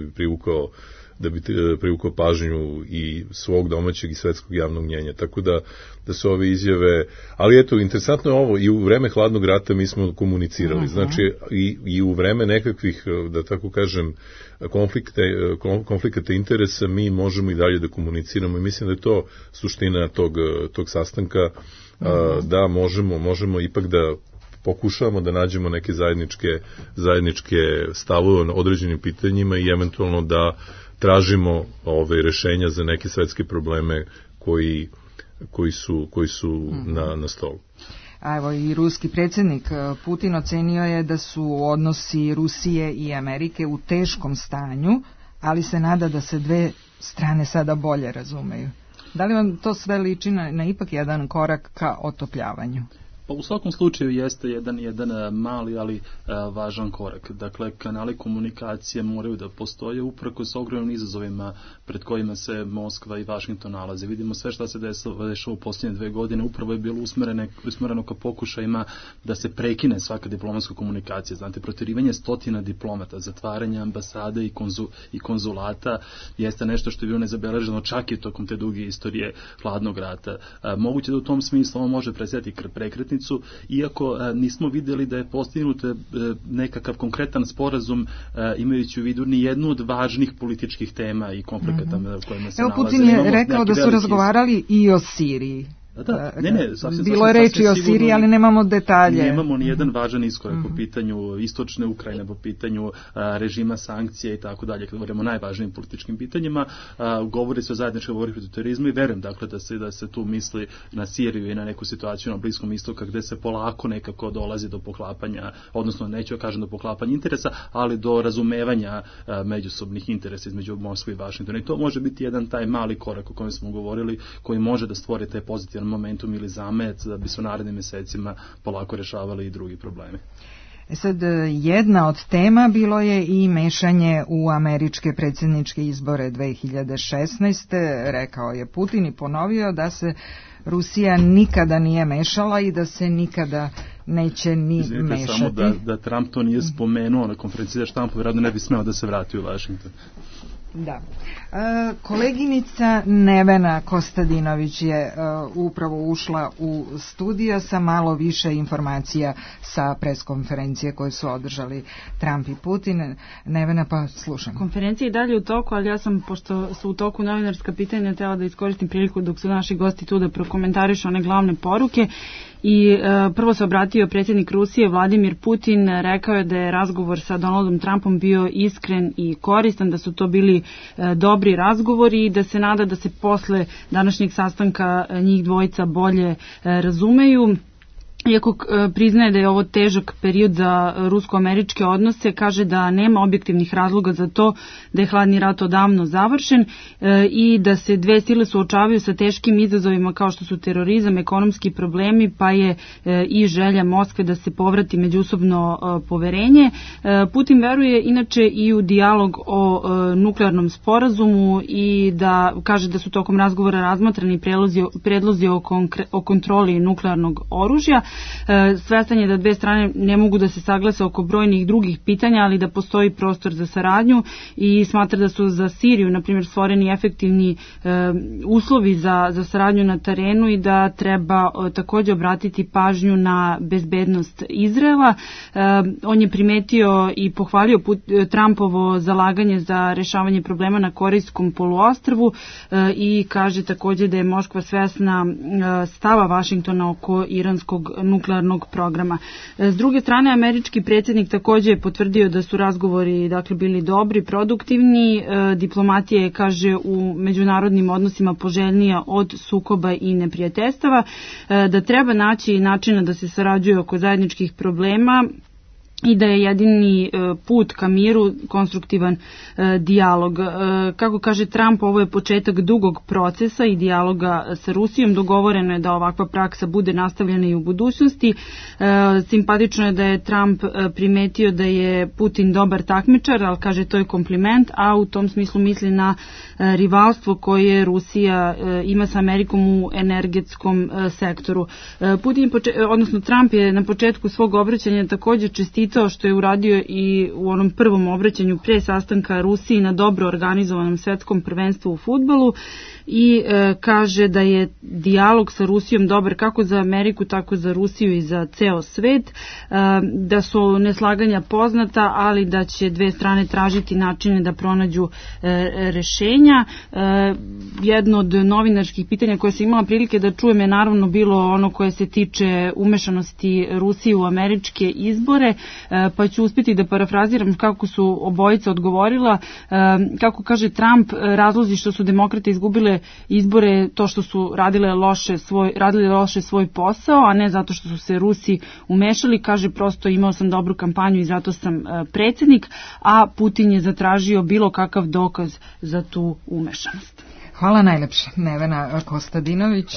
bi privukao pažnju i svog domaćeg i svetskog javnog mnjenja. Tako da su ove izjave, ali eto, interesantno je ovo, i u vreme hladnog rata mi smo komunicirali, znači i u vreme nekakvih, da tako kažem, konflikata interesa mi možemo i dalje da komuniciramo i mislim da je to suština tog sastanka, da možemo ipak da pokušavamo da nađemo neke zajedničke stavove na određenim pitanjima i eventualno da tražimo ove rešenja za neke svetske probleme koji su na stolu. A evo i ruski predsjednik Putin ocenio je da su odnosi Rusije i Amerike u teškom stanju, ali se nada da se dve strane sada bolje razumeju. Da li vam to sve liči na ipak jedan korak ka otopljavanju? Pa u svakom slučaju jeste jedan mali, ali važan korak. Dakle, kanali komunikacije moraju da postoje uprkos ogromnim izazovima pred kojima se Moskva i Vašington nalaze. Vidimo sve šta se dešava u posljednje 2 godine, upravo je bilo usmereno ka pokušajima da se prekine svaka diplomatska komunikacija. Znate, proterivanje 100 diplomata, zatvaranje ambasade i konzulata jeste nešto što je bilo nezabeleženo čak i tokom te duge istorije hladnog rata. Moguće da u tom smislu ovo može predstavljati prekretnicu, iako nismo vidjeli da je postignut nekakav konkretan sporazum imajući u vidu ni jednu od važnih političkih tema i konflikata u kojima se nalaze. Putin je rekao da su razgovarali i o Siriji. Bilo je reči o Siriji, ali nemamo detalje. Nemamo ni jedan važan iskorak po pitanju istočne Ukrajine, po pitanju režima sankcija i tako dalje. Kad govorimo o najvažnijim političkim pitanjima, govori se o zajedničkoj borbi protiv terorizma i verujem dakle da se tu misli na Siriju i na neku situaciju na Bliskom istoku gde se polako nekako dolazi do poklapanja, odnosno neću da kažem do poklapanja interesa, ali do razumevanja međusobnih interesa između Moskve i Vašingtona. I to može biti jedan taj mali korak o kojem smo govorili, koji može da stvori taj pozitivan momentum ili zamet da bi se u narednim mesecima polako rešavali i drugi problemi. Sad, jedna od tema bilo je i mešanje u američke predsjedničke izbore 2016. Rekao je Putin i ponovio da se Rusija nikada nije mešala i da se nikada neće ni mešati. Samo da Trump to nije spomenuo na konferenciji za štampu, vjerojatno ne bi smeo da se vrati u Vašington. Da. Koleginica Nevena Kostadinović je upravo ušla u studio sa malo više informacija sa preskonferencije koje su održali Trump i Putin. Nevena, pa slušam. Konferencija je dalje u toku, ali ja sam, pošto su u toku novinarska pitanja, htjela da iskoristim priliku dok su naši gosti tu da prokomentarišu one glavne poruke. I prvo se obratio predsjednik Rusije Vladimir Putin, rekao je da je razgovor sa Donaldom Trumpom bio iskren i koristan, da su to bili dobri razgovori i da se nada da se posle današnjeg sastanka njih dvojica bolje razumeju. Iako priznaje da je ovo težak period za rusko-američke odnose, kaže da nema objektivnih razloga za to da je hladni rat odavno završen i da se dve sile suočavaju sa teškim izazovima kao što su terorizam, ekonomski problemi, pa je i želja Moskve da se povrati međusobno poverenje. Putin veruje inače i u dijalog o nuklearnom sporazumu i da kaže da su tokom razgovora razmatrani predlozi o kontroli nuklearnog oružja. Svestan je da dve strane ne mogu da se saglase oko brojnih drugih pitanja, ali da postoji prostor za saradnju i smatra da su za Siriju, na primjer, stvoreni efektivni uslovi za saradnju na terenu i da treba također obratiti pažnju na bezbednost Izraela. On je primetio i pohvalio Trumpovo zalaganje za rešavanje problema na Korejskom poluostrvu i kaže također da je Moskva svesna stava Vašingtona oko iranskog nuklearnog programa. S druge strane, američki predsjednik također je potvrdio da su razgovori bili dobri, produktivni. Diplomatija je, kaže, u međunarodnim odnosima poželjnija od sukoba i neprijateljstava, da treba naći načina da se sarađuje oko zajedničkih problema i da je jedini put ka miru konstruktivan dijalog. Kako kaže Trump, ovo je početak dugog procesa i dijaloga sa Rusijom. Dogovoreno je da ovakva praksa bude nastavljena i u budućnosti. Simpatično je da je Trump primetio da je Putin dobar takmičar, ali kaže to je kompliment, a u tom smislu misli na rivalstvo koje Rusija ima sa Amerikom u energetskom sektoru. Trump je na početku svog obraćanja također čestitao što je uradio i u onom prvom obraćanju pre sastanka Rusiji na dobro organizovanom svetskom prvenstvu u fudbalu i kaže da je dijalog sa Rusijom dobar kako za Ameriku, tako za Rusiju i za ceo svet, da su neslaganja poznata, ali da će dve strane tražiti načine da pronađu rešenja. Jedno od novinarskih pitanja koje sam imala prilike da čujem je naravno bilo ono koje se tiče umešanosti Rusije u američke izbore, pa ću uspjeti da parafraziram kako su obojica odgovorila. Kako kaže Trump, razlozi što su demokrate izgubile izbore to što su radili loše svoj posao, a ne zato što su se Rusi umešali. Kaže, prosto imao sam dobru kampanju i zato sam predsjednik, a Putin je zatražio bilo kakav dokaz za tu umešanost. Hvala najlepše, Nevena Kostadinović,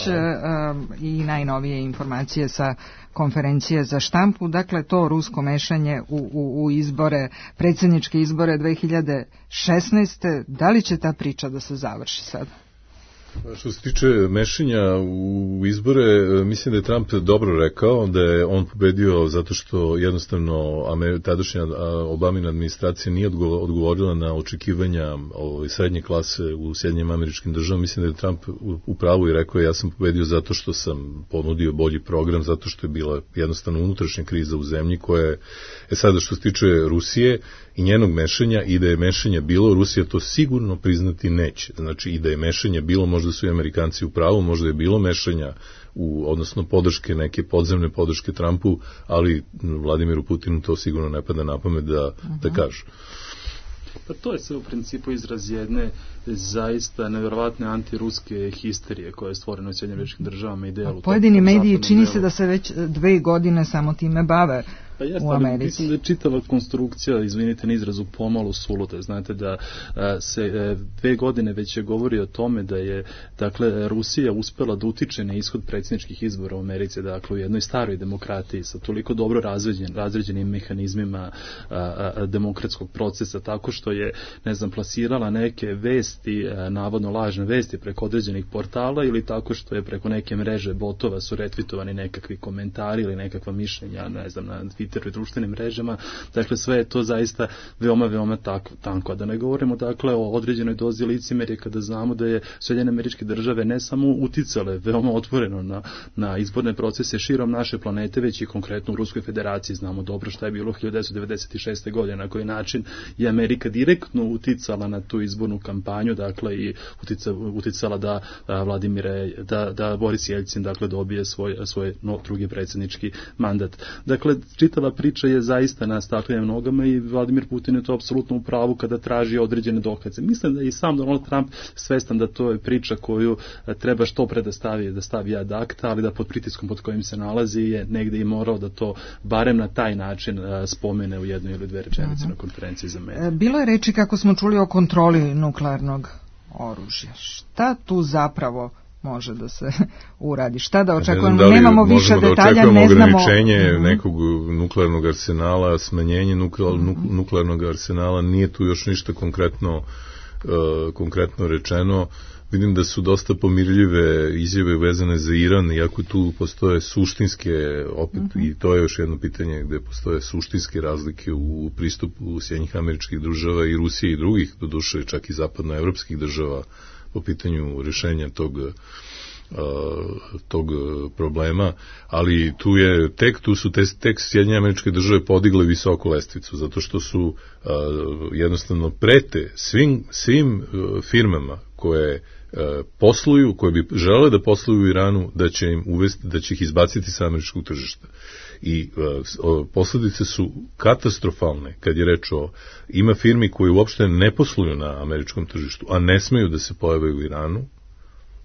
i najnovije informacije sa konferencije za štampu. Dakle, to rusko mešanje u izbore, predsjedničke izbore 2016. Da li će ta priča da se završi sad? Što se tiče mešanja u izbore, mislim da je Trump dobro rekao da je on pobedio zato što jednostavno tadašnja Obamina administracija nije odgovorila na očekivanja srednje klase u Sjedinjenim Američkim Državama. Mislim da je Trump u pravu i rekao ja sam pobedio zato što sam ponudio bolji program, zato što je bila jednostavno unutrašnja kriza u zemlji koja je, sada što se tiče Rusije i njenog mešanja, i da je mešanja bilo, Rusija to sigurno priznati neće. Znači i da je mešanja bilo, možda su i Amerikanci u pravu, možda je bilo mešanja odnosno podrške, neke podzemne podrške Trumpu, ali Vladimiru Putinu to sigurno ne pada na pamet da kažu. Pa to je sve u principu izraz jedne zaista nevjerovatne antiruske histerije koja je stvorena u Sjedinjenim Američkim Državama i delu. Pojedini mediji čini se da se već 2 godine samo time bave. Pa jeste, ali mislim da je čitava konstrukcija, izvinite na izrazu, pomalo suluda. Znate da se 2 godine već je govori o tome da je, dakle, Rusija uspela da utiče na ishod predsjedničkih izbora u Americi, dakle, u jednoj staroj demokratiji sa toliko dobro razređenim mehanizmima demokratskog procesa, tako što je, plasirala neke vesti, navodno lažne vesti preko određenih portala, ili tako što je preko neke mreže botova su retvitovani nekakvi komentari ili nekakva mišljenja, na Twitteru i društvenim mrežama. Dakle, sve je to zaista veoma, veoma tanko. A da ne govorimo, dakle, o određenoj dozi licemerja kada znamo da je Sjedinjene Američke Države ne samo uticale veoma otvoreno na izborne procese širom naše planete, već i konkretno u Ruskoj federaciji. Znamo dobro šta je bilo 1996. godine, na koji način je Amerika direktno uticala na tu izbornu kampanju, dakle, i uticala da da Boris Jelcin, dakle, dobije svoj drugi predsjednički mandat. Dakle, čitava priča je zaista na staklenim nogama i Vladimir Putin je to apsolutno u pravu kada traži određene dokaze. Mislim da i sam Donald Trump svestan da to je priča koju treba što pre da stavi ad acta, ali da pod pritiskom pod kojim se nalazi je negde i morao da to barem na taj način spomene u 1 ili 2 rečenice na konferenciji za medije. Bilo je reči, kako smo čuli, o kontroli nuklearnog oružja. Šta tu zapravo može da se uradi? Šta da očekujemo? Nemamo više detalja, ne znamo. Ograničenje nekog nuklearnog arsenala, smanjenje nuklearnog arsenala, nije tu još ništa konkretno rečeno. Vidim da su dosta pomirljive izjave vezane za Iran, iako tu postoje suštinske, opet, i to je još jedno pitanje gde postoje suštinske razlike u pristupu Sjedinjenih Američkih Država i Rusije i drugih, doduše čak i zapadnoevropskih država, po pitanju rješenja tog problema, ali tu su tek Sjedinjene Američke Države podigle visoko lestvicu, zato što su jednostavno prete svim firmama koje posluju, koje bi želele da posluju u Iranu, da će ih izbaciti sa američkog tržišta. I posljedice su katastrofalne kad je reč ima firmi koje uopšte ne posluju na američkom tržištu, a ne smeju da se pojave u Iranu,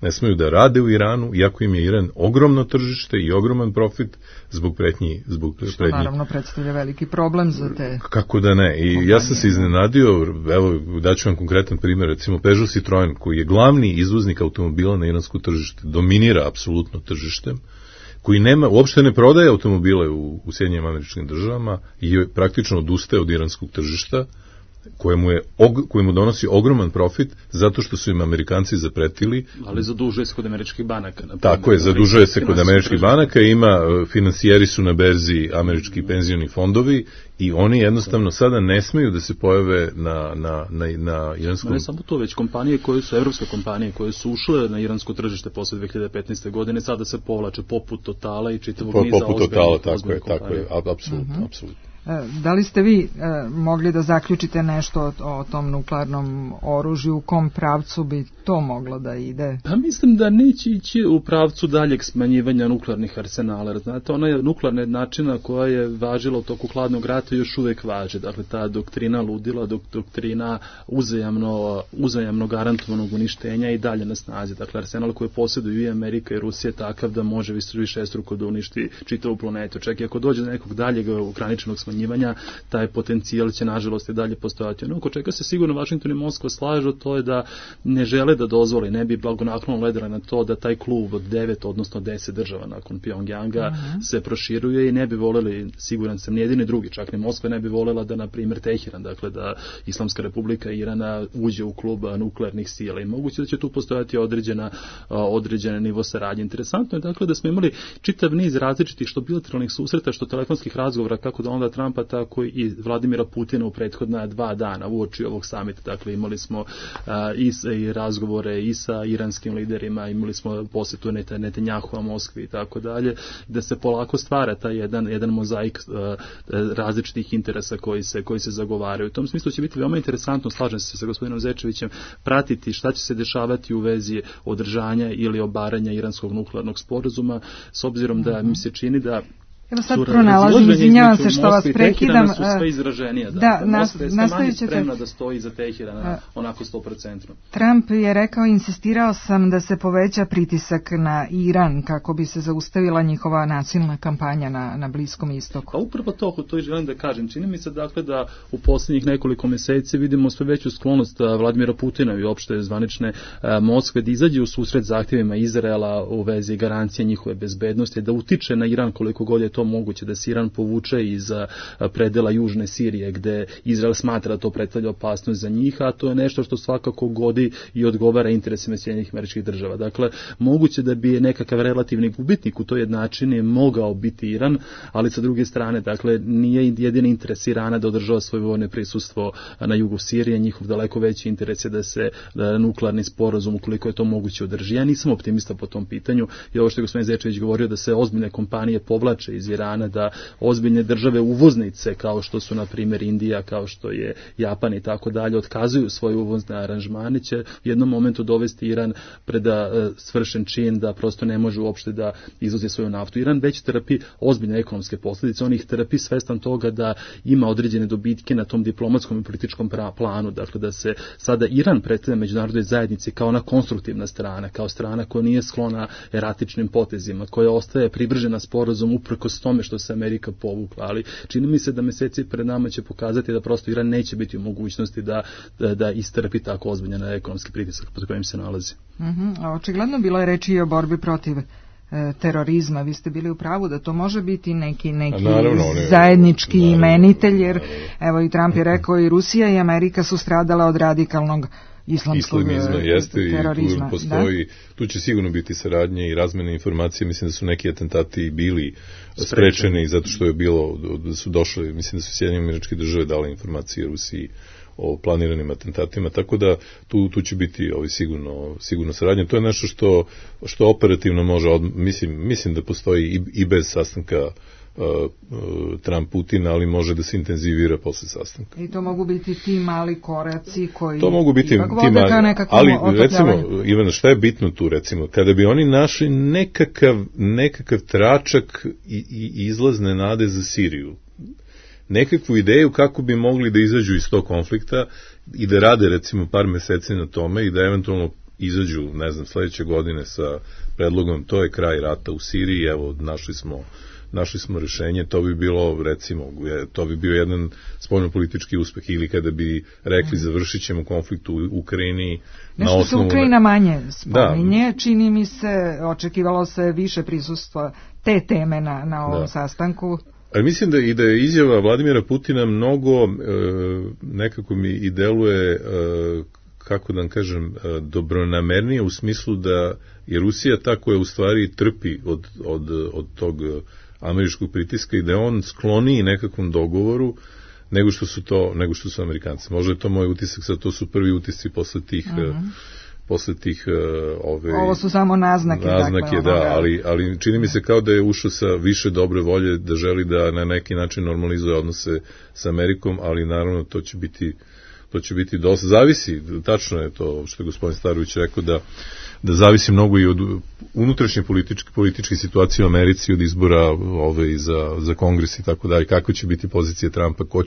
ne smeju da rade u Iranu, iako im je Iran ogromno tržište i ogroman profit zbog pretnji. Što naravno predstavlja veliki problem za te... Kako da ne. I ja sam se iznenadio, evo, daću vam konkretan primjer, recimo Peugeot Citroen, koji je glavni izvoznik automobila na iransko tržište, dominira apsolutno tržištem, koji uopšte ne prodaje automobile u Sjedinjenim Američkim Državama i je praktično odustaje od iranskog tržišta, kojemu donosi ogroman profit zato što su im Amerikanci zapretili. Ali zadužuje se kod američkih banaka. Tako je, zadužuje se kod američkih banaka, finansijeri su na berzi američki penzioni fondovi i oni jednostavno sada ne smeju da se pojave na iranskom... Ne samo to, već kompanije koje su, evropske kompanije koje su ušle na iransko tržište posle 2015. godine, sada se povlače poput Totala i čitavog niza ozbiljnih kompanija. Tako je, apsolutno. Da li ste vi mogli da zaključite nešto o tom nuklearnom oružju, u kom pravcu bi to moglo da ide? Pa mislim da neće ići u pravcu daljeg smanjivanja nuklearnih arsenala. Znate, ona nuklearna jednačina koja je važila u toku hladnog rata još uvek važi. Dakle, ta doktrina ludila, doktrina uzajamno garantovanog uništenja i dalje na snazi. Dakle, arsenal koji posjeduju i Amerika i Rusija je takav da može višestruko da uništi čitavu planetu. Čak i ako dođe do nekog daljeg ograničenog smanjivanja, taj potencijal će nažalost i dalje postojati. Ono oko čega se sigurno Vašington i Moskva slažu, to je da ne žele da dozvole, ne bi blagonaklono gledali na to da taj klub od 9, odnosno 10 država nakon Pjongjanga se proširuje i ne bi voleli, siguran sam, nijedini drugi, čak ni Moskva ne bi volela da, na primjer, Teheran, dakle da Islamska republika Irana uđe u klub nuklearnih sila i moguće da će tu postojati određen nivo saradnje. Interesantno je dakle da smo imali čitav niz različitih što bilateralnih susreta, što telefonskih razgovora, kako da onda Trumpa, tako i Vladimira Putina u prethodna 2 dana uoči ovog samita. Dakle, imali smo i razgovore i sa iranskim liderima, imali smo posjetu Netanjahua Moskvi i tako dalje, da se polako stvara taj jedan mozaik različitih interesa koji se zagovaraju. U tom smislu će biti veoma interesantno, slažem se sa gospodinom Zečevićem, pratiti šta će se dešavati u vezi održanja ili obaranja iranskog nuklearnog sporazuma, s obzirom da mi se čini da evo sad pronalazim, izvinjavam se što vas prekidam. Su sve izraženija. Nastavit ćete. Spremna da stoji za Teherana onako 100%. Trump je rekao, insistirao sam da se poveća pritisak na Iran kako bi se zaustavila njihova nasilna kampanja na Bliskom istoku. Pa upravo to i želim da kažem. Čini mi se dakle da u posljednjih nekoliko mjeseci vidimo sve veću sklonost Vladimira Putina i opšte zvanične Moskve da izađe u susret zahtjevima Izraela u vezi garancije njihove bezbednosti, da utiče na Iran koliko god je to moguće, da se Iran povuče iz predela južne Sirije gde Izrael smatra da to predstavlja opasnost za njih, a to je nešto što svakako godi i odgovara interesima Sjedinjenih Američkih Država. Dakle, moguće da bi nekakav relativni gubitnik u toj jednačini mogao biti Iran, ali sa druge strane, dakle, nije jedini interes Irana da održava svoje vojno prisustvo na jugu Sirije, njihov daleko veći interes je da se nuklearni sporazum, ukoliko je to moguće, održi. Ja nisam optimista po tom pitanju i ovo što je gospodin Zečević govorio da se ozbiljne kompanije povlače iz Irana, da ozbiljne države uvoznice kao što su na primjer Indija, kao što je Japan i tako dalje, otkazuju svoje uvozne aranžmane, će u jednom momentu dovesti Iran pred svršen čin da prosto ne može uopšte da izvozi svoju naftu. Iran već trpi ozbiljne ekonomske posljedice, on ih trpi svestan toga da ima određene dobitke na tom diplomatskom i političkom planu, dakle da se sada Iran predstavlja međunarodnoj zajednici kao ona konstruktivna strana, kao strana koja nije sklona eratičnim potezima, koja ostaje privržena sporazum uprkos tome što se Amerika povukla, ali čini mi se da mjeseci pred nama će pokazati da prosto Iran neće biti u mogućnosti da istrpi tako ozbiljan ekonomski pritisak pod kojim se nalazi. Očigledno bilo je reči i o borbi protiv terorizma. Vi ste bili u pravu da to može biti neki zajednički imenitelj, jer evo i Trump je rekao i Rusija i Amerika su stradale od radikalnog islamskog terorizma. I tu postoji, tu će sigurno biti saradnje i razmene informacije. Mislim da su neki atentati bili sprečeni zato što je bilo, da su došli, mislim da su Sjedinjene Američke Države dale informacije Rusiji o planiranim atentatima, tako da tu će biti sigurno saradnje. To je nešto što operativno može, mislim da postoji i bez sastanka Trump-Putin, ali može da se intenzivira posle sastanka. I to mogu biti ti mali koraci koji to mogu biti ti mali, ali recimo, Ivana, šta je bitno tu, recimo, kada bi oni našli nekakav tračak i izlazne nade za Siriju, nekakvu ideju kako bi mogli da izađu iz tog konflikta i da rade recimo par meseci na tome i da eventualno izađu, ne znam, sledeće godine sa predlogom to je kraj rata u Siriji, evo našli smo rešenje, to bi bilo, recimo, to bi bio jedan spoljnopolitički uspeh, ili kada bi rekli završit ćemo konflikt u Ukrajini. Nešto se Ukrajina manje spominje, čini mi se, očekivalo se više prisustva te teme na ovom sastanku. Ali mislim da je izjava Vladimira Putina mnogo, nekako mi i deluje, kako da vam kažem, dobronamernije u smislu da je Rusija ta koja u stvari trpi od tog američkog pritiska i da je on skloniji nekakvom dogovoru nego što su Amerikanci. Možda je to moj utisak, sad to su prvi utisci posle tih ovo su samo naznake ali čini mi se kao da je ušao sa više dobre volje, da želi da na neki način normalizuje odnose sa Amerikom, ali naravno to će biti dosta, zavisi, tačno je to što je gospodin Starović rekao, da zavisi mnogo i od unutrašnje političke situacije u Americi, od izbora za kongres i tako dalje, kako će biti pozicija Trumpa, ko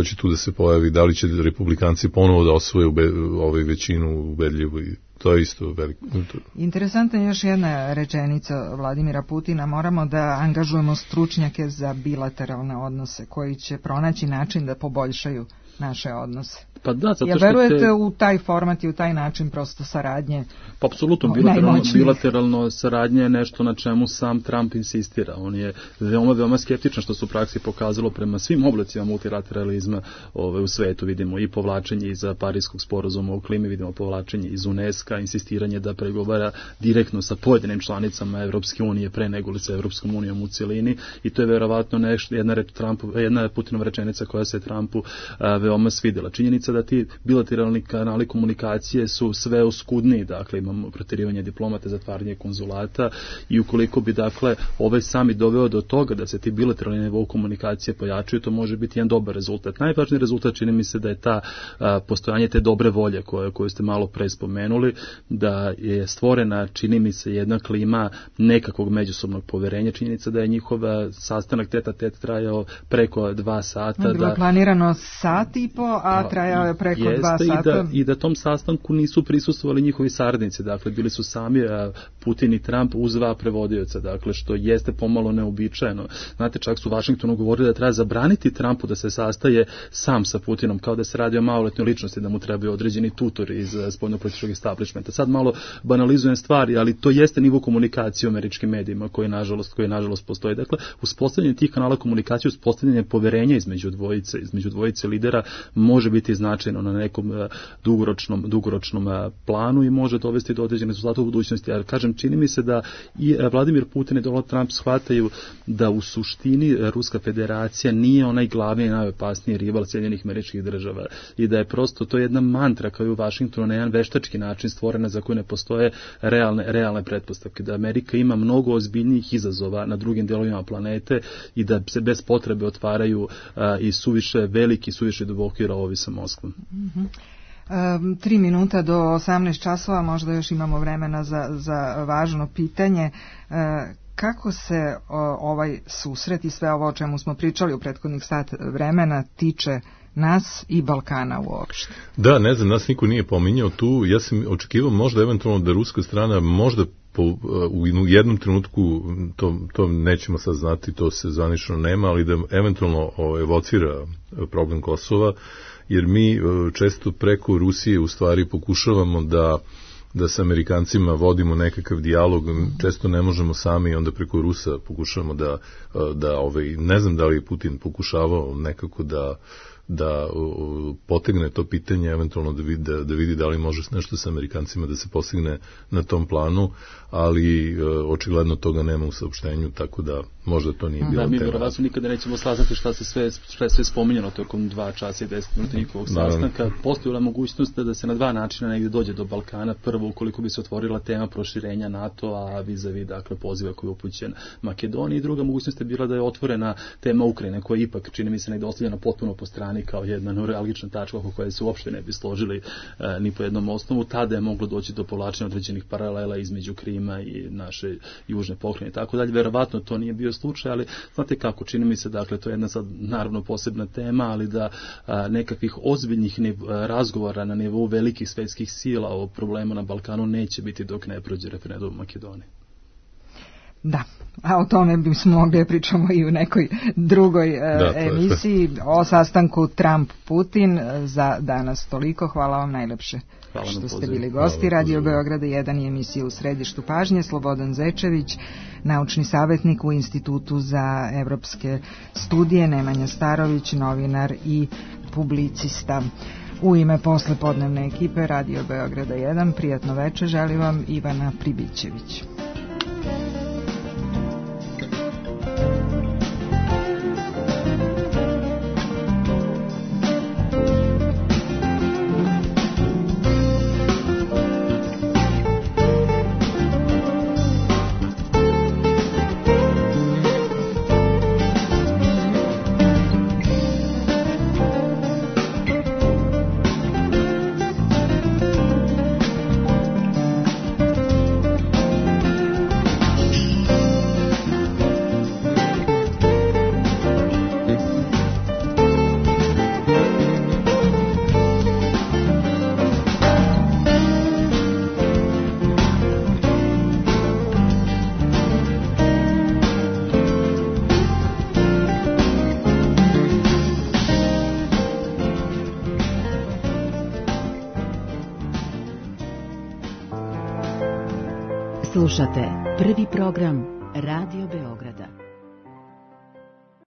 će tu da se pojavi, da li će republikanci ponovo da osvoje većinu ubedljivu, i to je isto veliko. Interesantna je još jedna rečenica Vladimira Putina, moramo da angažujemo stručnjake za bilateralne odnose koji će pronaći način da poboljšaju naše odnose. Pa da, zato što verujete u taj format i u taj način prosto saradnje? Pa apsolutno, bilateralno saradnje je nešto na čemu sam Trump insistira. On je veoma skeptičan, što se u praksi pokazalo prema svim oblicima multilateralizma u svetu. Vidimo i povlačenje iz Parijskog sporazuma o klimi, vidimo povlačenje iz UNESCO, insistiranje da pregovara direktno sa pojedinim članicama Evropske unije pre nego li sa Evropskom unijom u cijelini, i to je verovatno jedna Putinova rečenica koja se Trumpu veoma svidela. Činjenica da ti bilateralni kanali komunikacije su sve oskudniji, dakle imamo proterivanje diplomata, zatvaranje konzulata, i ukoliko bi dakle ovaj summit doveo do toga da se ti bilateralni nivou komunikacije pojačuju, to može biti jedan dobar rezultat. Najvažniji rezultat čini mi se da je ta postojanje te dobre volje koju ste malo pre spomenuli, da je stvorena, čini mi se, jedna klima nekakvog međusobnog poverenja. Činjenica da je njihov sastanak tete trajao preko 2 sata. Bilo planirano sat i po, a trajao je preko 2 sata. I da tom sastanku nisu prisustvovali njihovi saradnici, dakle bili su sami Putin i Trump uz 2 prevodioca, dakle što jeste pomalo neobičajeno. Znate, čak su u Vašingtonu govorili da treba zabraniti Trumpu da se sastaje sam sa Putinom, kao da se radi o maloletnoj ličnosti, da mu trebaju određeni tutori iz spoljnopolitičkog establishmenta. Sad malo banalizujem stvari, ali to jeste nivo komunikacije u američkim medijima koji nažalost postoji. Dakle, uspostavljanje tih kanala komunikacije, uspostavljanje poverenja između dvojice lidera može biti značajno na nekom dugoročnom planu i može dovesti do određenih rezultata u budućnosti. Ja kažem, čini mi se da i Vladimir Putin i Donald Trump shvataju da u suštini Ruska federacija nije onaj glavni i najopasniji rival Sjedinjenih Američkih Država, i da je prosto to jedna mantra kao i u Vašingtonu na jedan veštački način stvorena za koju ne postoje realne pretpostavke, da Amerika ima mnogo ozbiljnijih izazova na drugim delovima planete i da se bez potrebe otvaraju i suviše veliki, suviše duboki rovovi sa Moskvom. 3 minuta do 18 časova, možda još imamo vremena za važno pitanje. Kako se ovaj susret i sve ovo o čemu smo pričali u prethodnih sat vremena tiče nas i Balkana uopšte? Da, ne znam, nas niko nije pominjao tu. Ja sam očekivao možda eventualno da ruska strana možda u jednom trenutku, to nećemo sad znati, to se zvanično nema, ali da eventualno evocira problem Kosova, jer mi često preko Rusije u stvari pokušavamo da sa Amerikancima vodimo nekakav dijalog, često ne možemo sami, onda preko Rusa pokušavamo ne znam da li je Putin pokušavao nekako da potegne to pitanje, eventualno da vidi da li može nešto sa Amerikancima da se postigne na tom planu, ali očigledno toga nema u saopštenju, tako da možda to nije bilo tema. Mi verovatno nikada nećemo saznati šta je sve spominjeno tokom 2 časa i 10 minuta njihovog sastanka. Postojala mogućnost da se na 2 načina negdje dođe do Balkana. Prvo, ukoliko bi se otvorila tema proširenja NATO-a vis-a-vis, dakle, poziva koji je upućen Makedoniji. Druga mogućnost je bila da je otvorena tema Ukrajine, koja je ipak, čini mi se, negdje ostavljena potpuno po strani Balkani kao jedna neuralgična tačka oko koje se uopšte ne bi složili ni po jednom osnovu. Tada je moglo doći do povlačenja određenih paralela između Krima i naše južne pokrajine i tako dalje. Verovatno to nije bio slučaj, ali znate kako, čini mi se, dakle, to je jedna sad naravno posebna tema, ali da nekakvih ozbiljnih razgovora na nivou velikih svetskih sila o problemu na Balkanu neće biti dok ne prođe referendum u Makedoniji. Da, a o tome bismo mogli pričamo i u nekoj drugoj emisiji. O sastanku Trump-Putin za danas toliko. Hvala vam najlepše što ste bili gosti. Radio Beograda 1 je emisija u središtu pažnje. Slobodan Zečević, naučni savjetnik u Institutu za evropske studije, Nemanja Starović, novinar i publicista. U ime poslepodnevne ekipe Radio Beograda 1, prijatno večer želi vam Ivana Pribićević. Slušate prvi program Radio Beograda.